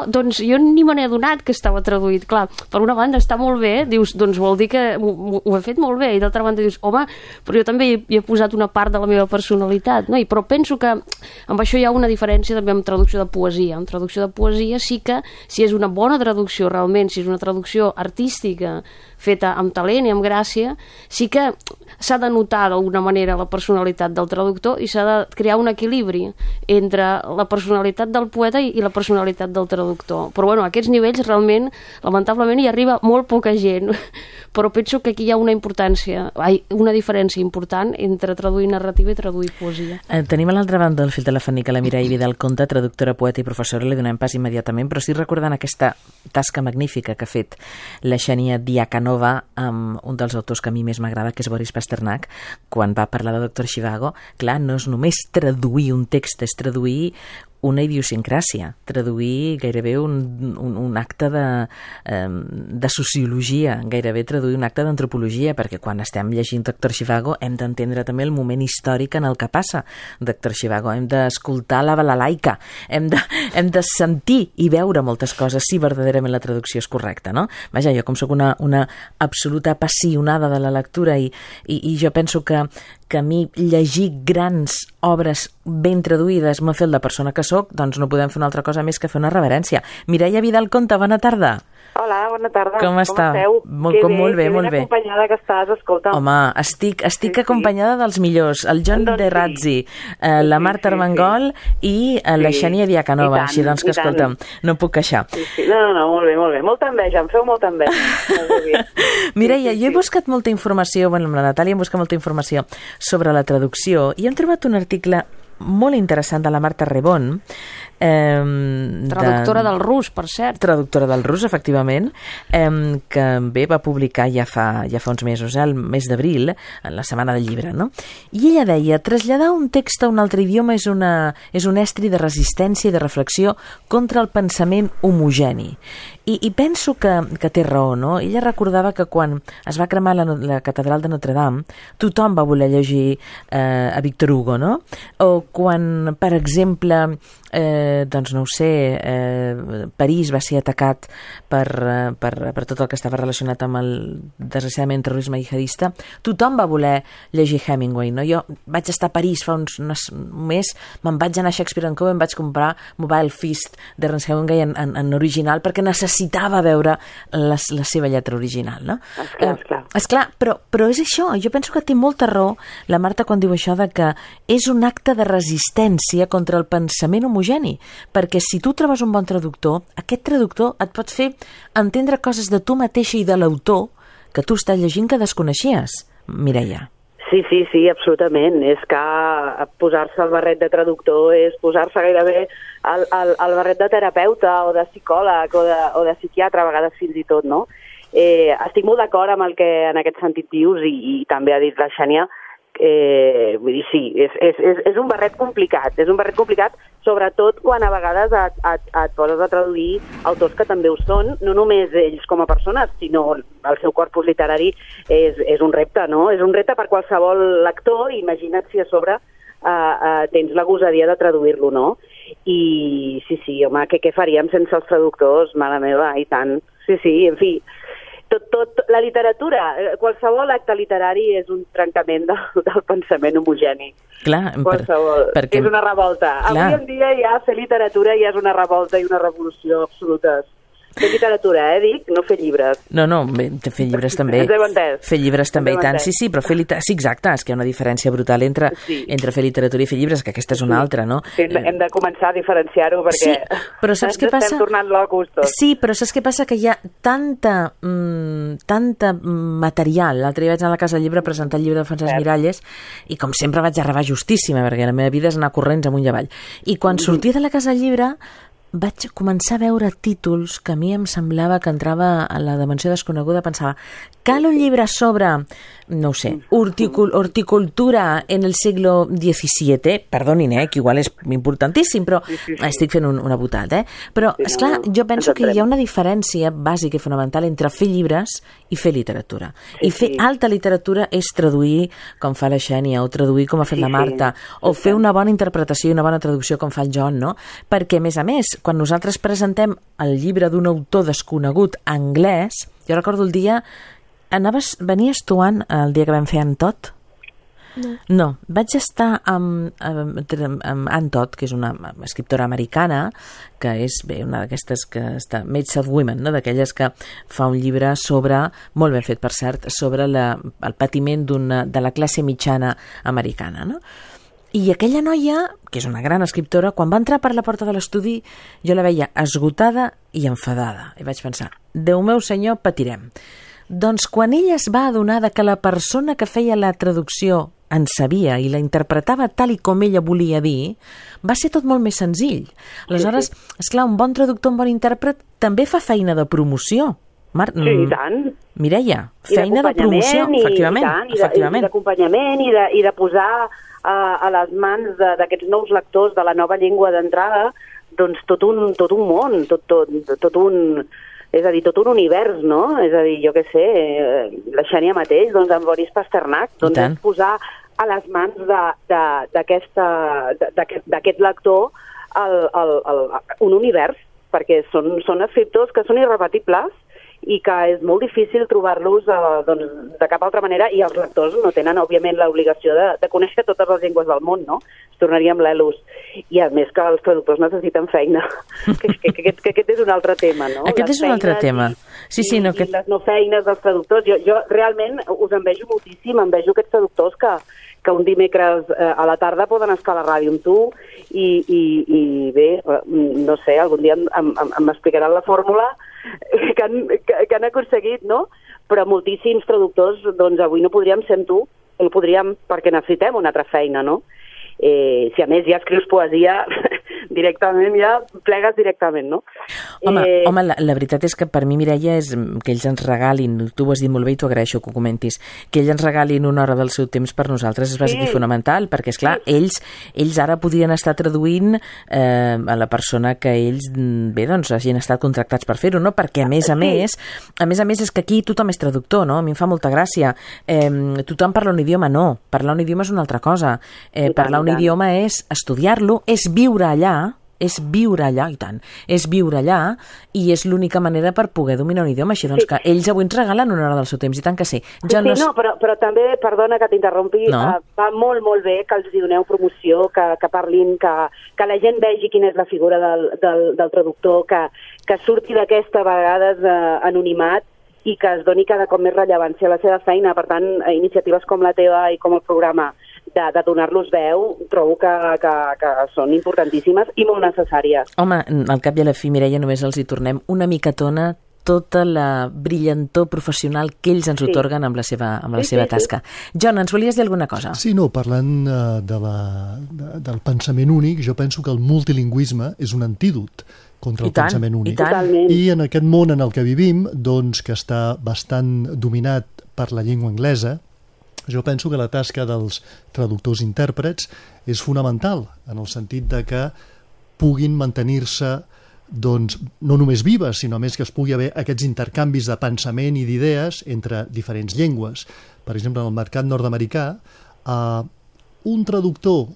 doncs jo ni me n'he adonat que estava traduït. Clar, per una banda està molt bé, dius, doncs vol dir que ho he fet molt bé, i d'altra banda dius, home, però jo també hi he posat una part de la meva personalitat, no? Però penso que amb això hi ha una diferència també amb traducció de poesia. En traducció de poesia sí que, si és una bona traducció realment, si és una traducció artística feta amb talent i amb gràcia, sí que s'ha de notar d'alguna manera la personalitat del traductor i s'ha de crear un equilibri entre la personalitat del poeta i la personalitat del traductor. Però bueno, a aquests nivells realment, lamentablement, hi arriba molt poca gent, però penso que aquí hi ha una diferència important entre traduir narrativa i traduir poesia. Tenim a l'altra banda del fil telefònic a la Mireia Vidal Conte, traductora, poeta i professora, li donem pas immediatament, però sí recordant aquesta tasca magnífica que ha fet la Xènia Diakanova amb un dels autors que a mi més m'agrada, que és Boris Pasternak, quan va parlar de Dr. Zhivago. Clar, no és només traduir un text, és traduir una idiosincràsia, traduir gairebé un acte de sociologia, gairebé traduir un acte d'antropologia, perquè quan estem llegint Dr. Zhivago hem d'entendre també el moment històric en el que passa Dr. Zhivago, hem d'escoltar la balalaica, hem de sentir i veure moltes coses si verdaderament la traducció és correcta, no? Vaja, jo com sóc una absoluta apassionada de la lectura i jo penso que a mi llegir grans obres ben traduïdes m'ha fet la persona que sóc, doncs no podem fer una altra cosa més que fer una reverència. Mireia Vidal Conte, bona tarda. Hola, bona tarda. Com esteu? Molt bé, molt bé. Que ben acompanyada que estàs, escolta. Home, estic acompanyada dels millors, el John de Razzi, la Marta Armengol i la Xènia Diakanova, així doncs que escolta'm, no puc queixar. No, molt bé. Molta enveja, em feu molta enveja. Mireia, jo he buscat molta informació, amb la Natàlia hem buscat molta informació sobre la traducció i hem trobat un article molt interessant de la Marta Rebon, traductora del rus, per cert. Traductora del rus, efectivament, que bé va publicar ja fa uns mesos, el mes d'abril, en la Setmana del Llibre, no? I ella deia, traslladar un text a un altre idioma és un estri de resistència i de reflexió contra el pensament homogeni. I penso que té raó, no? Ella recordava que quan es va cremar la catedral de Notre Dame, tothom va voler llegir a Victor Hugo, no? O quan, per exemple, doncs no ho sé, París va ser atacat per tot el que estava relacionat amb el, desgraciadament, terrorisme jihadista, tothom va voler llegir Hemingway, no? Jo vaig estar a París fa un mes, me'n vaig anar a Shakespeare & Co, em vaig comprar Mobile Feast d'Ernest Hemingway en original perquè necessitava veure la seva lletra original, no? Esclar, però és això, jo penso que té molta raó la Marta quan diu això de que és un acte de resistència contra el pensament homogeni, perquè si tu trobes un bon traductor, aquest traductor et pot fer entendre coses de tu mateixa i de l'autor que tu estàs llegint que desconeixies, Mireia. Sí, absolutament. És que posar-se el barret de traductor és posar-se gairebé el barret de terapeuta o de psicòleg o de psiquiatre, a vegades fins i tot, no? Estic molt d'acord amb el que en aquest sentit dius i també ha dit la Xènia. Vull dir, sí, és un barret complicat, sobretot quan a vegades et poses a traduir autors que també ho són, no només ells com a persones, sinó el seu corpus literari és un repte, no? És un repte per qualsevol lector, imagina't si a sobre tens la gosadia de traduir-lo, no? I sí, home, què faríem sense els traductors? Mare meva, i tant. Sí, en fi, tot la literatura, qualsevol acte literari és un trencament del pensament homogeni. Clar, perquè és una revolta. Clar. Avui en dia ja fer literatura ja és una revolta i una revolució absolutes. Fer literatura, dic, no fer llibres. No, fer llibres també. Ens heu entès. Fer llibres també, i tant. Sí, però sí, exacte, és que hi ha una diferència brutal entre fer literatura i fer llibres, que aquesta és una altra, no? Sí, hem de començar a diferenciar-ho perquè però saps què passa? Estem tornant locos tots. Sí, però saps què passa? Que hi ha tanta material. L'altre dia vaig anar a la Casa del Llibre a presentar el llibre de Francesc Miralles i com sempre vaig arribar justíssima, perquè la meva vida és anar corrents amunt i avall. I quan sortia de la Casa del Llibre vaig començar a veure títols que a mi em semblava que entrava a la dimensió desconeguda. Pensava, cal un llibre sobre, no ho sé, horticultura en el siglo XVII, perdonin, que igual és importantíssim, però estic fent una botada, però, esclar, jo penso que hi ha una diferència bàsica i fonamental entre fer llibres i fer literatura. I fer alta literatura és traduir com fa la Xènia, o traduir com ha fet la Marta, o fer una bona interpretació i una bona traducció com fa el John, no? Perquè, a més, quan nosaltres presentem el llibre d'un autor desconegut anglès, jo recordo el dia, venies tu, Anne, el dia que vam fer en Tot? No, vaig estar amb Ann Todd, que és una escriptora americana, que és una d'aquestes que està Made of Women, no? D'aquelles que fa un llibre sobre, molt ben fet per cert, sobre el patiment de la classe mitjana americana, no? I aquella noia, que és una gran escriptora, quan va entrar per la porta de l'estudi jo la veia esgotada i enfadada, i vaig pensar, Déu meu senyor, patirem. Doncs quan ella es va adonar que la persona que feia la traducció en sabia i la interpretava tal i com ella volia dir, va ser tot molt més senzill. Aleshores, esclar, un bon traductor, un bon intèrpret, també fa feina de promoció. Sí, i tant. Mireia, feina de promoció, efectivament. I d'acompanyament i de posar a les mans d'aquests nous lectors de la nova llengua d'entrada doncs tot un món, tot un... És a dir, tot un univers, no? És a dir, jo què sé, la Xènia mateix, doncs amb Boris Pasternak, doncs és posar a les mans d'aquest lector un univers, perquè són escriptors que són irrepetibles i que és molt difícil trobar-los de cap altra manera, i els lectors no tenen, òbviament, l'obligació de conèixer totes les llengües del món, no? Es tornaria amb l'Elus. I a més que els traductors necessiten feina, que aquest és un altre tema, no? Aquest és un altre tema. Sí, i les no feines dels traductors. Jo realment us envejo moltíssim, envejo aquests traductors que un dimecres a la tarda poden estar a la ràdio amb tu i bé, no sé, algun dia m'explicaran la fórmula que han aconseguit, no? Però moltíssims traductors, doncs avui no podríem ser amb tu, no podríem perquè necessitem una altra feina, no? Si a més ja escrius poesia directament, ja plegues directament, no? Home, la veritat és que per mi, Mireia, és que ells ens regalin, tu ho has dit molt bé i t'ho agraeixo que ho comentis, que ells ens regalin una hora del seu temps per nosaltres és bàsic i fonamental, perquè esclar, ells ara podrien estar traduint a la persona que ells, bé, doncs hagin estat contractats per fer-ho, no? Perquè a més a més és que aquí tothom és traductor, no? A mi em fa molta gràcia. Tothom parla un idioma, no. Parlar un idioma és una altra cosa. Parlar un idioma és estudiar-lo, és viure allà, i tant, és viure allà, i és l'única manera per poder dominar un idioma, així doncs que ells avui ens regalen una hora del seu temps, i tant que sí. Però també, perdona que t'interrompi, va molt, molt bé que els doneu promoció, que parlin, que la gent vegi quina és la figura del traductor, que surti d'aquesta a vegades anonimat, i que es doni cada cop més rellevància a la seva feina. Per tant, iniciatives com la teva i com el programa de donar-los veu, trobo que són importantíssimes i molt necessàries. Home, al cap i a la fi, Mireia, només els hi tornem una micatona tota la brillantor professional que ells ens otorguen amb la seva tasca. John, ens volies dir alguna cosa? Sí, no, parlant del pensament únic, jo penso que el multilingüisme és un antídot contra el pensament únic. I en aquest món en el que vivim, doncs, que està bastant dominat per la llengua anglesa, jo penso que la tasca dels traductors intèrprets és fonamental, en el sentit de que puguin mantenir-se doncs, no només vives, sinó més que es pugui haver aquests intercanvis de pensament i d'idees entre diferents llengües. Per exemple, en el mercat nord-americà, un traductor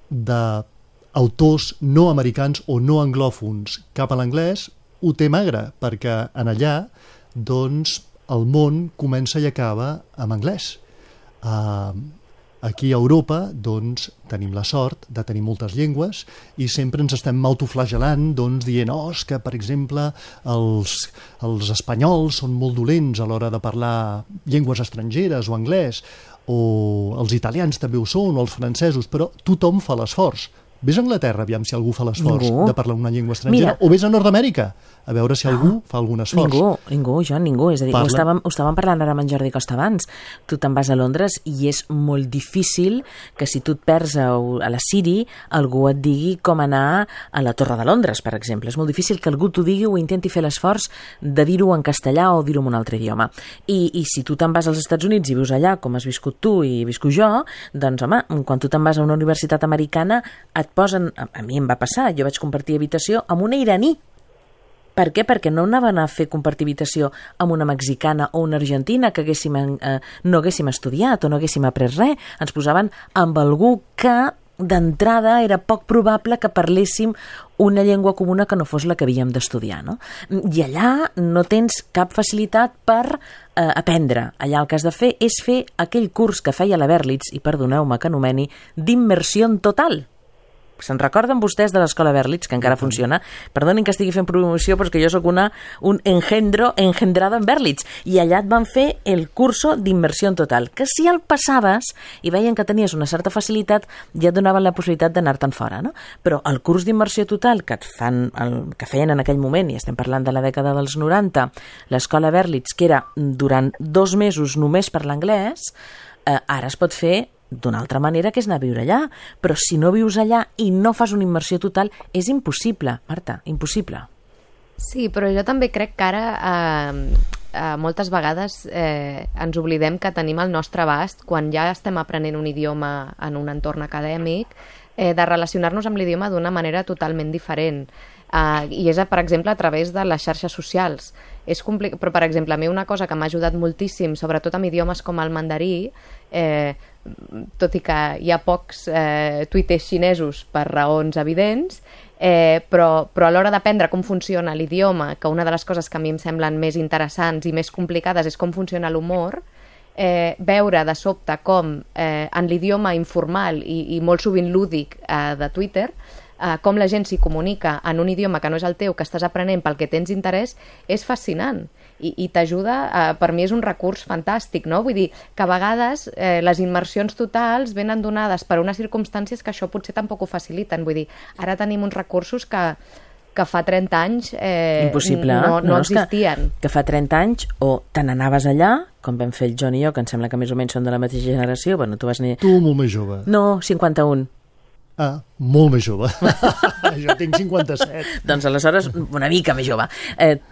d'autors no americans o no anglòfons cap a l'anglès ho té magre, perquè en allà doncs, el món comença i acaba amb anglès. Aquí a Europa doncs, tenim la sort de tenir moltes llengües i sempre ens estem autoflagelant dient és que, per exemple, els espanyols són molt dolents a l'hora de parlar llengües estrangeres o anglès, o els italians també ho són, o els francesos, però tothom fa l'esforç. Vés a Anglaterra, aviam si algú fa l'esforç de parlar una llengua estrangera, o vés a Nord-Amèrica, a veure si algú fa algun esforç. Ningú, Joan, ningú. És a dir, ho estàvem parlant ara amb en Jordi Costa abans. Tu te'n vas a Londres i és molt difícil que si tu et perds a la Siri, algú et digui com anar a la Torre de Londres, per exemple. És molt difícil que algú t'ho digui o intenti fer l'esforç de dir-ho en castellà o dir-ho en un altre idioma. I si tu te'n vas als Estats Units i vius allà, com has viscut tu i visco jo, doncs, home, quan tu te'n vas a una universitat americana, et posen, a mi em va passar, jo vaig compartir habitació amb una iraní. Per què? Perquè no anaven a fer compartir habitació amb una mexicana o una argentina que no haguéssim estudiat o no haguéssim après res. Ens posaven amb algú que d'entrada era poc probable que parléssim una llengua comuna que no fos la que havíem d'estudiar, no? I allà no tens cap facilitat per aprendre. Allà el que has de fer és fer aquell curs que feia la Berlitz, i perdoneu-me que anomeni, d'immersió total. Se'n recorden vostès de l'escola Berlitz, que encara funciona? Perdonin que estigui fent promoció, però és que jo sóc un engendrada en Berlitz. I allà et van fer el curso d'immersió total, que si el passaves i veien que tenies una certa facilitat, ja et donaven la possibilitat d'anar-te'n fora, no? Però el curs d'immersió total que feien en aquell moment, i estem parlant de la dècada dels 90, l'escola Berlitz, que era durant 2 mesos només per l'anglès, ara es pot fer d'una altra manera, que és anar a viure allà. Però si no vius allà i no fas una immersió total, és impossible, Marta, impossible. Sí, però jo també crec que ara moltes vegades ens oblidem que tenim al nostre abast, quan ja estem aprenent un idioma en un entorn acadèmic, de relacionar-nos amb l'idioma d'una manera totalment diferent. I és, per exemple, a través de les xarxes socials. Però, per exemple, a mi una cosa que m'ha ajudat moltíssim, sobretot amb idiomes com el mandarí, tot i que hi ha pocs tuiters xinesos per raons evidents, però a l'hora d'aprendre com funciona l'idioma, que una de les coses que a mi em semblen més interessants i més complicades és com funciona l'humor, veure de sobte com en l'idioma informal i molt sovint lúdic de Twitter, com la gent s'hi comunica en un idioma que no és el teu, que estàs aprenent pel que tens interès, és fascinant i t'ajuda. Per mi és un recurs fantàstic, no? Vull dir que a vegades les immersions totals venen donades per unes circumstàncies que això potser tampoc ho faciliten. Vull dir, ara tenim uns recursos que fa 30 anys no existien. Que fa 30 anys o te n'anaves allà, com vam fer el John i jo, que em sembla que més o menys són de la mateixa generació. Bueno, tu molt més jove. No, 51. Ah, molt més jove. Jo tinc 57. Doncs aleshores, una mica més jove.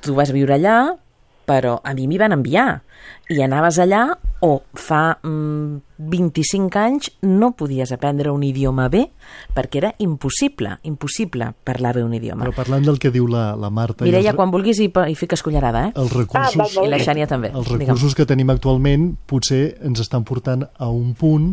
Tu vas viure allà, però a mi m'hi van enviar. I anaves allà, o fa 25 anys no podies aprendre un idioma bé, perquè era impossible parlar bé un idioma. Però parlant del que diu la Marta... Mireia, quan vulguis hi fiques cullerada, Els recursos, i la Xènia també. Els recursos que tenim actualment potser ens estan portant a un punt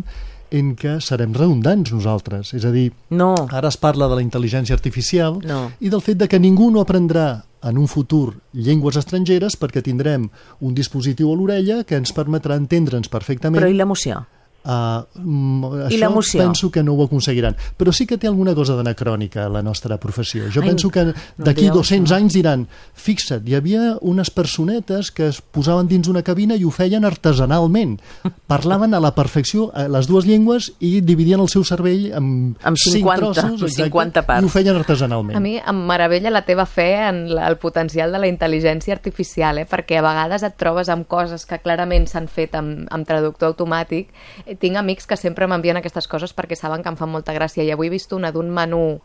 en què serem redundants nosaltres. És a dir, ara es parla de la intel·ligència artificial i del fet de que ningú no aprendrà en un futur llengües estrangeres perquè tindrem un dispositiu a l'orella que ens permetrà entendre'ns perfectament. Però i l'emoció? Això penso que no ho aconseguiran. Però sí que té alguna cosa d'anacrònica a la nostra professió. Jo penso que d'aquí 200 anys diran, fixa't, hi havia unes personetes que es posaven dins una cabina i ho feien artesanalment. Parlaven a la perfecció les dues llengües i dividien el seu cervell amb 5 trossos, 50 parts. I ho feien artesanalment. A mi em meravella la teva fe en el potencial de la intel·ligència artificial, perquè a vegades et trobes amb coses que clarament s'han fet amb traductor automàtic. Tinc amics que sempre m'envien aquestes coses perquè saben que em fan molta gràcia, i avui he vist una d'un menú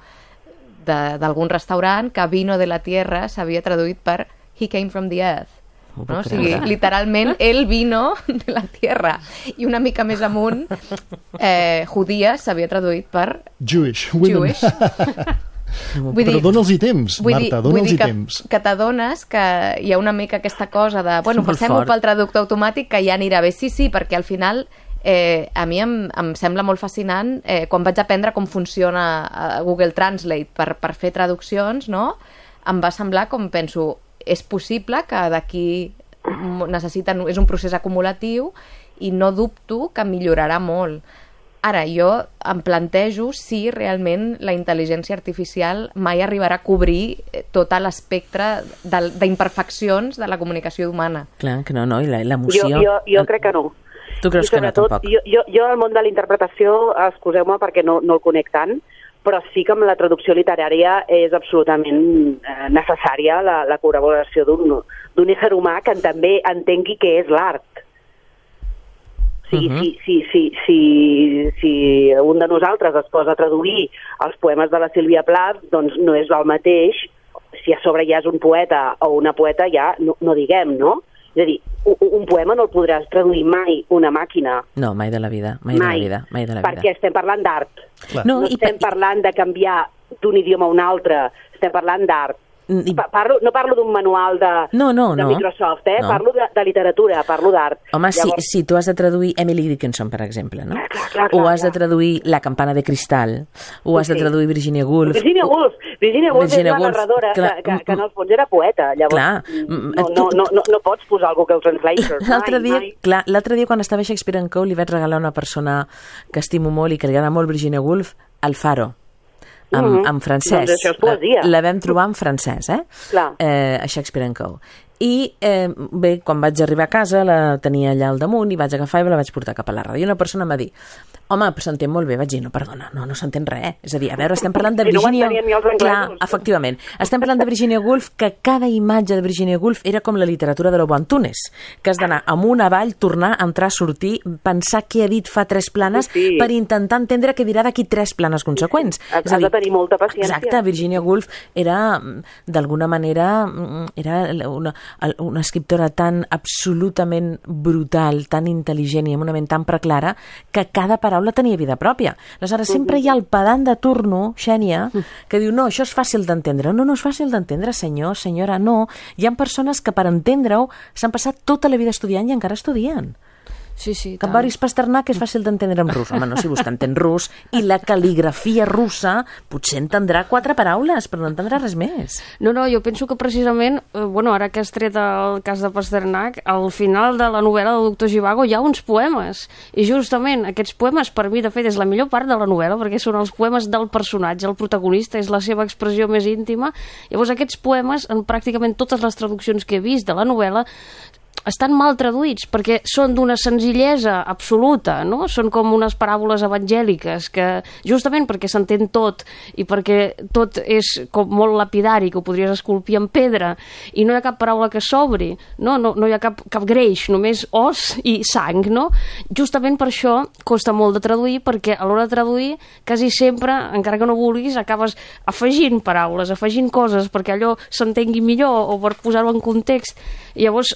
d'algun restaurant que vino de la tierra s'havia traduït per he came from the earth. No? O sigui, literalment, el vino de la tierra. I una mica més amunt, judíes s'havia traduït per Jewish. Però dona'ls-hi temps, Marta, dona'ls-hi temps. Que t'adones que hi ha una mica aquesta cosa de, bueno, passem-ho pel traductor automàtic que ja anirà bé. Sí, perquè al final a mi em sembla molt fascinant quan vaig aprendre com funciona Google Translate per fer traduccions, no? Em va semblar, com penso, és possible que d'aquí és un procés acumulatiu i no dubto que millorarà molt. Ara, jo em plantejo si realment la intel·ligència artificial mai arribarà a cobrir tot l'espectre d'imperfeccions de la comunicació humana. Clar que no, i l'emoció... Jo crec que no. Tu creus que no, tampoc? Jo al món de la interpretació, excuseu-me perquè no el conec tant, però sí que amb la traducció literària és absolutament necessària la col·laboració d'un ésser humà que també entengui què és l'art. Si un de nosaltres es posa a traduir els poemes de la Sílvia Plath, doncs no és el mateix. Si a sobre ja és un poeta o una poeta, ja no diguem, no? És a dir, un poema no el podràs traduir mai una màquina. No, mai de la vida. Perquè estem parlant d'art. No estem parlant de canviar d'un idioma a un altre, estem parlant d'art. No parlo d'un manual de Microsoft, no. Parlo de literatura, parlo d'art. Home, si tu has de traduir Emily Dickinson, per exemple, no? Clar, o has de traduir La campana de cristal, o has de traduir Virginia Woolf. Virginia Woolf és la narradora que en el fons era poeta, llavors no pots posar algú que ho translator. L'altre dia quan estava a Shakespeare & Co li vaig regalar a una persona que estimo molt i que li agrada molt Virginia Woolf, El Faro, en francès. Doncs això és poesia. La vam trobar en francès, a Shakespeare & Co. I bé, quan vaig arribar a casa la tenia allà al damunt i vaig agafar i me la vaig portar cap a la ràdio. I una persona em va dir: home, s'entén molt bé. Vaig dir: no, perdona, no s'entén res. És a dir, a veure, estem parlant de Virginia... Clar, efectivament. Estem parlant de Virginia Woolf, que cada imatge de Virginia Woolf era com la literatura de l'Obo Antunes, que has d'anar amunt, avall, tornar, entrar, sortir, pensar què ha dit fa 3 planes per intentar entendre què dirà d'aquí 3 planes conseqüents. Has de tenir molta paciència. Exacte, Virginia Woolf era, d'alguna manera, era una escriptora tan absolutament brutal, tan intel·ligent i amb una ment tan preclara que cada paraula tenia vida pròpia. Aleshores, sempre hi ha el pedant de turno, Xènia, que diu: no, això és fàcil d'entendre. No és fàcil d'entendre, senyor, senyora, no. Hi ha persones que per entendre-ho s'han passat tota la vida estudiant i encara estudien. Sí, que Boris Pasternak és fàcil d'entendre en rus. Home, no, si vostè entén rus, i la cal·ligrafia russa potser entendrà 4 paraules, però no entendrà res més. No, jo penso que precisament, ara que has tret el cas de Pasternak, al final de la novel·la del Doctor Zhivago hi ha uns poemes, i justament aquests poemes, per mi, de fet, és la millor part de la novel·la, perquè són els poemes del personatge, el protagonista, és la seva expressió més íntima. Llavors, aquests poemes, en pràcticament totes les traduccions que he vist de la novel·la, estan mal traduïts perquè són d'una senzillesa absoluta, no? Són com unes paràboles evangèliques que, justament perquè s'entén tot i perquè tot és com molt lapidari, que ho podries esculpir en pedra, i no hi ha cap paraula que s'obri, no hi ha cap greix, només os i sang, no? Justament per això costa molt de traduir, perquè a l'hora de traduir quasi sempre, encara que no vulguis, acabes afegint paraules, afegint coses perquè allò s'entengui millor o per posar-ho en context. I llavors,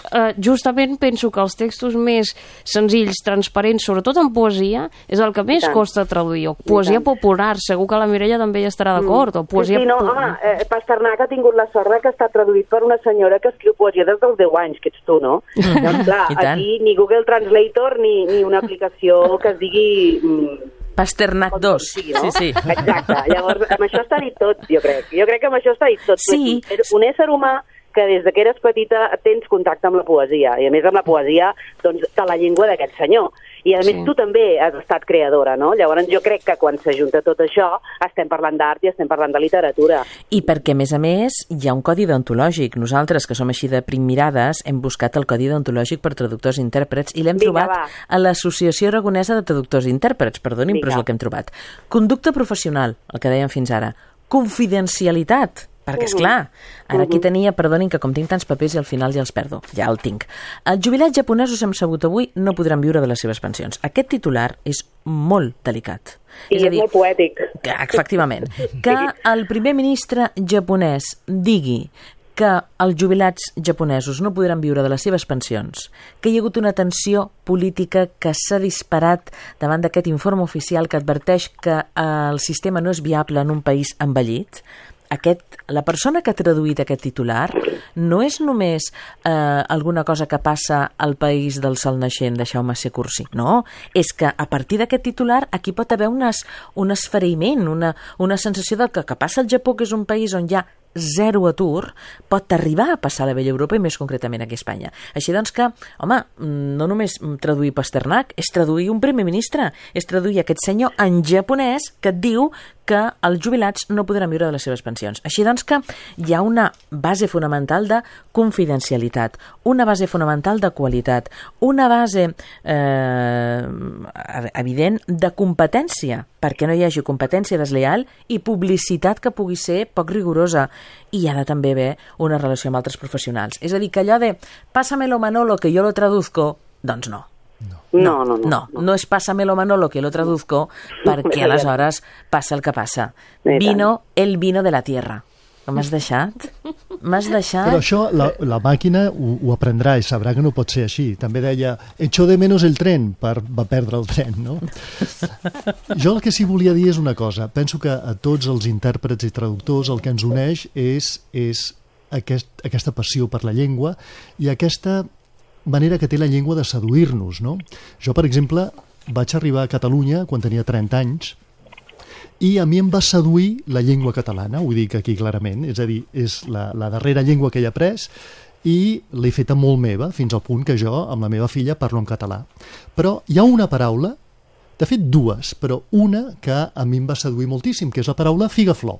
justament penso que els textos més senzills, transparents, sobretot en poesia, és el que més costa traduir. O poesia popular, segur que la Mireia també hi estarà d'acord. O poesia... Pasternak ha tingut la sort que està traduït per una senyora que escriu poesia des dels 10 anys, que ets tu, no? Doncs clar, aquí ni Google Translator ni una aplicació que es digui... Pasternak 2. Sí. Exacte. Llavors, amb això està dit tot, jo crec. Jo crec que amb això està dit tot. Sí. Un ésser humà que des que eres petita tens contacte amb la poesia, i a més amb la poesia doncs, de la llengua d'aquest senyor. I a més tu també has estat creadora, no? Llavors jo crec que quan s'ajunta tot això estem parlant d'art i estem parlant de literatura. I perquè, a més, hi ha un codi deontològic. Nosaltres, que som així de primmirades, hem buscat el codi deontològic per traductors i intèrprets i l'hem trobat a l'Associació Aragonesa de Traductors i Intèrprets. Perdonin, però és el que hem trobat. Conducta professional, el que dèiem fins ara. Confidencialitat. Perquè, esclar, ara aquí tenia, perdonin que com tinc tants papers i al final ja els perdo, ja el tinc. Els jubilats japonesos, hem sabut avui, no podran viure de les seves pensions. Aquest titular és molt delicat. I és molt poètic. Efectivament. Que el primer ministre japonès digui que els jubilats japonesos no podran viure de les seves pensions, que hi ha hagut una tensió política que s'ha disparat davant d'aquest informe oficial que adverteix que el sistema no és viable en un país envellit. La persona que ha traduït aquest titular no és només alguna cosa que passa al país del sol naixent de Jaume C. Cursi, no, és que a partir d'aquest titular aquí pot haver un esfereïment, una sensació de que passa al Japó, que és un país on hi ha zero atur, pot arribar a passar a la vella Europa i més concretament aquí a Espanya. Així doncs que, home, no només traduir Pasternak, és traduir un primer ministre, és traduir aquest senyor en japonès que et diu que els jubilats no podran viure de les seves pensions. Així doncs que hi ha una base fonamental de confidencialitat, una base fonamental de qualitat, una base evident de competència, perquè no hi hagi competència deslleial i publicitat que pugui ser poc rigorosa. I hi ha de també haver una relació amb altres professionals. És a dir, que allò de pásamelo Manolo que yo lo traduzco, doncs no. No és pásamelo Manolo que lo traduzco, perquè aleshores passa el que passa. El vino de la tierra. M'has deixat? Però això la màquina ho aprendrà i sabrà que no pot ser així. També deia, echo de menos el tren, va perdre el tren, no? Jo el que sí volia dir és una cosa. Penso que a tots els intèrprets i traductors el que ens uneix és aquesta passió per la llengua i aquesta manera que té la llengua de seduir-nos, no? Jo, per exemple, vaig arribar a Catalunya quan tenia 30 anys i a mi em va seduir la llengua catalana, ho dic aquí clarament, és a dir, és la darrera llengua que he après i l'he feta molt meva, fins al punt que jo, amb la meva filla, parlo en català. Però hi ha una paraula, de fet dues, però una que a mi em va seduir moltíssim, que és la paraula figaflor.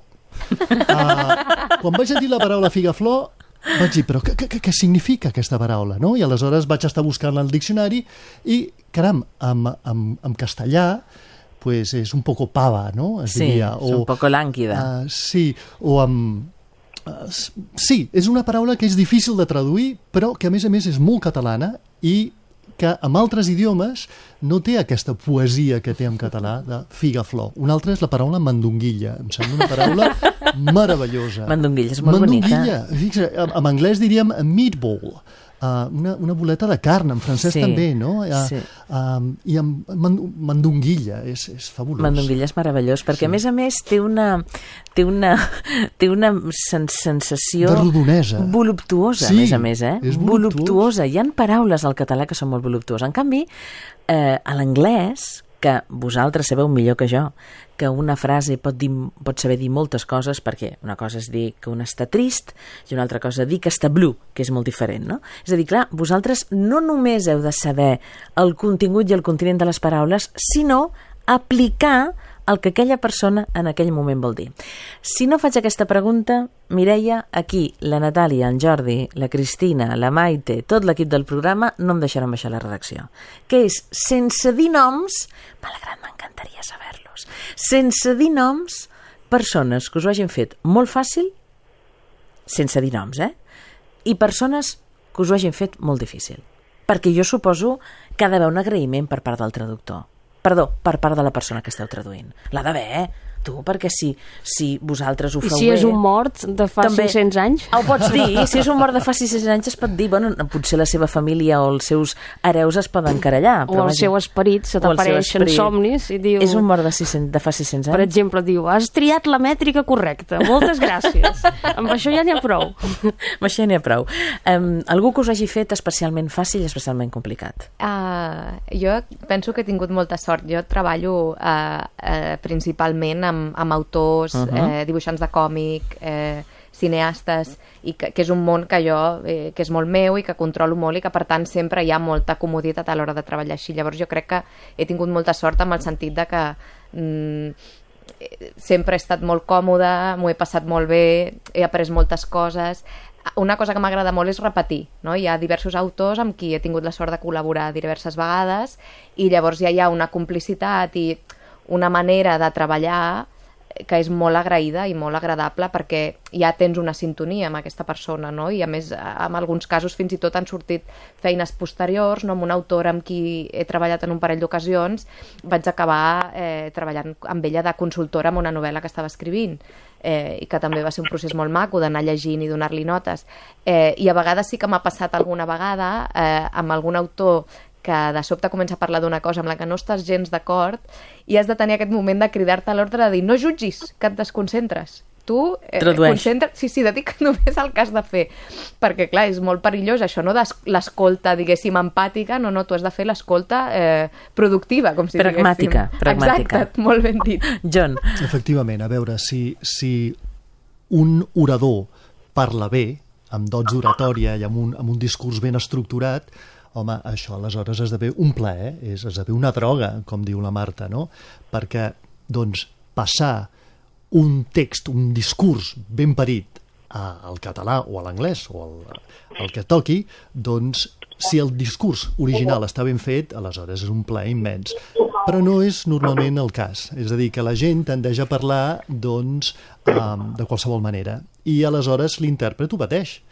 Quan vaig a dir la paraula figaflor, vaig dir, però què significa aquesta paraula? No? I aleshores vaig estar buscant al diccionari i, caram, en castellà, pues és un poco pava, no? Es diria, és un poco lànguida. Sí, o amb... sí, és una paraula que és difícil de traduir, però que a més és molt catalana i que en altres idiomes no té aquesta poesia que té en català de figaflor. Una altra és la paraula mandonguilla. Em sembla una paraula meravellosa. Mandonguilla és molt bonica. Fixa, en anglès diríem meatball, una boleta de carn, en francès també, no? I amb mandonguilla, és fabulós. Mandonguilla és meravellós, perquè a més té una sensació... de rodonesa. Voluptuosa, a més, és voluptuosa. Hi ha paraules al català que són molt voluptuoses. En canvi, a l'anglès, que vosaltres sabeu millor que jo, que una frase pot saber dir moltes coses, perquè una cosa és dir que un està trist i una altra cosa dir que està blue, que és molt diferent, no? És a dir, clar, vosaltres no només heu de saber el contingut i el continent de les paraules, sinó aplicar el que aquella persona en aquell moment vol dir. Si no faig aquesta pregunta, Mireia, aquí la Natàlia, en Jordi, la Cristina, la Maite, tot l'equip del programa no em deixaran baixar la redacció. Que és, sense dir noms, malgrat m'encantaria saber-los, sense dir noms, persones que us ho hagin fet molt fàcil, sense dir noms, i persones que us ho hagin fet molt difícil. Perquè jo suposo que ha d'haver un agraïment per part del traductor. Perdó, per part de la persona que esteu traduint. L'ha d'haver, tu, perquè si vosaltres ho feu bé... I si és un mort de fa 600 anys? Ho pots dir, si és un mort de fa 600 anys es pot dir, bueno, potser la seva família o els seus hereus es poden querellar. O el seu esperit se t'apareix en somnis i diu... És un mort de fa 600 anys? Per exemple, diu, has triat la mètrica correcta, moltes gràcies. Amb això ja n'hi ha prou. Amb això ja n'hi ha prou. Algú que us hagi fet especialment fàcil i especialment complicat? Jo penso que he tingut molta sort. Jo treballo principalment amb autors, dibuixants de còmic, cineastes, i que és un món que jo, que és molt meu i que controlo molt i que per tant sempre hi ha molta comoditat a l'hora de treballar així. Llavors jo crec que he tingut molta sort amb el sentit de que sempre he estat molt còmoda, m'ho he passat molt bé, he après moltes coses. Una cosa que m'agrada molt és repetir, no? Hi ha diversos autors amb qui he tingut la sort de col·laborar diverses vegades i llavors ja hi ha una complicitat i una manera de treballar que és molt agraïda i molt agradable perquè ja tens una sintonia amb aquesta persona, no? I a més, en alguns casos fins i tot han sortit feines posteriors, no? Amb una autora amb qui he treballat en un parell d'ocasions vaig acabar treballant amb ella de consultora en una novel·la que estava escrivint i que també va ser un procés molt maco d'anar llegint i donar-li notes. I a vegades sí que m'ha passat alguna vegada amb algun autor que de sobte comença a parlar d'una cosa amb la que no estàs gens d'acord i has de tenir aquest moment de cridar-te a l'ordre de dir no jutgis, que et desconcentres. Tu concentra't, dedica't només al que has de fer. Perquè, clar, és molt perillós això, no? L'escolta, diguéssim, empàtica, no, tu has de fer l'escolta productiva, com si pragmàtica, diguéssim. Pragmàtica. Exacte, molt ben dit. John. Efectivament, a veure, si un orador parla bé, amb dots d'oratòria i amb un discurs ben estructurat, home, això aleshores esdevé un plaer, esdevé una droga, com diu la Marta, no? Perquè, doncs, passar un text, un discurs ben parit al català o a l'anglès o al que toqui, doncs, si el discurs original està ben fet, aleshores és un plaer immens. Però no és normalment el cas. És a dir, que la gent tendeix a parlar, doncs, de qualsevol manera. I aleshores l'intèrpret ho pateix.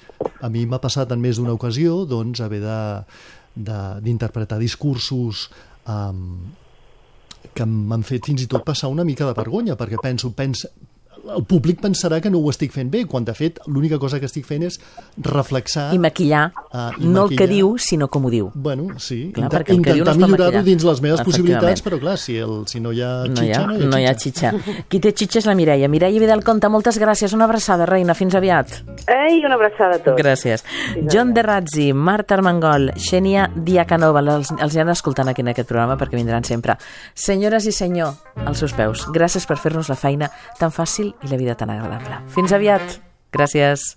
A mi m'ha passat en més d'una ocasió, doncs, haver d'interpretar discursos que m'han fet fins i tot passar una mica de vergonya, perquè penso, el públic pensarà que no ho estic fent bé, quan de fet l'única cosa que estic fent és reflexar... I maquillar, no el que diu, sinó com ho diu. Bueno, sí, clar, perquè el que diu no es pot millorar-ho maquillar. dins les meves possibilitats, però clar, si no hi ha xitxa, no hi ha xitxa. Qui té xitxa és la Mireia. Mireia Vidal Conta, moltes gràcies. Una abraçada, reina. Fins aviat. Ei, una abraçada a tots. Gràcies. John de Razzi, Marta Armengol, Xènia Diacanova, els anem escoltant aquí en aquest programa perquè vindran sempre. Senyores i senyor, als seus peus, gràcies per fer-nos la feina tan fàcil i la vida tan agradable. Fins aviat. Gràcies.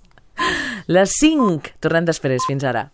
Les 5. Tornem després. Fins ara.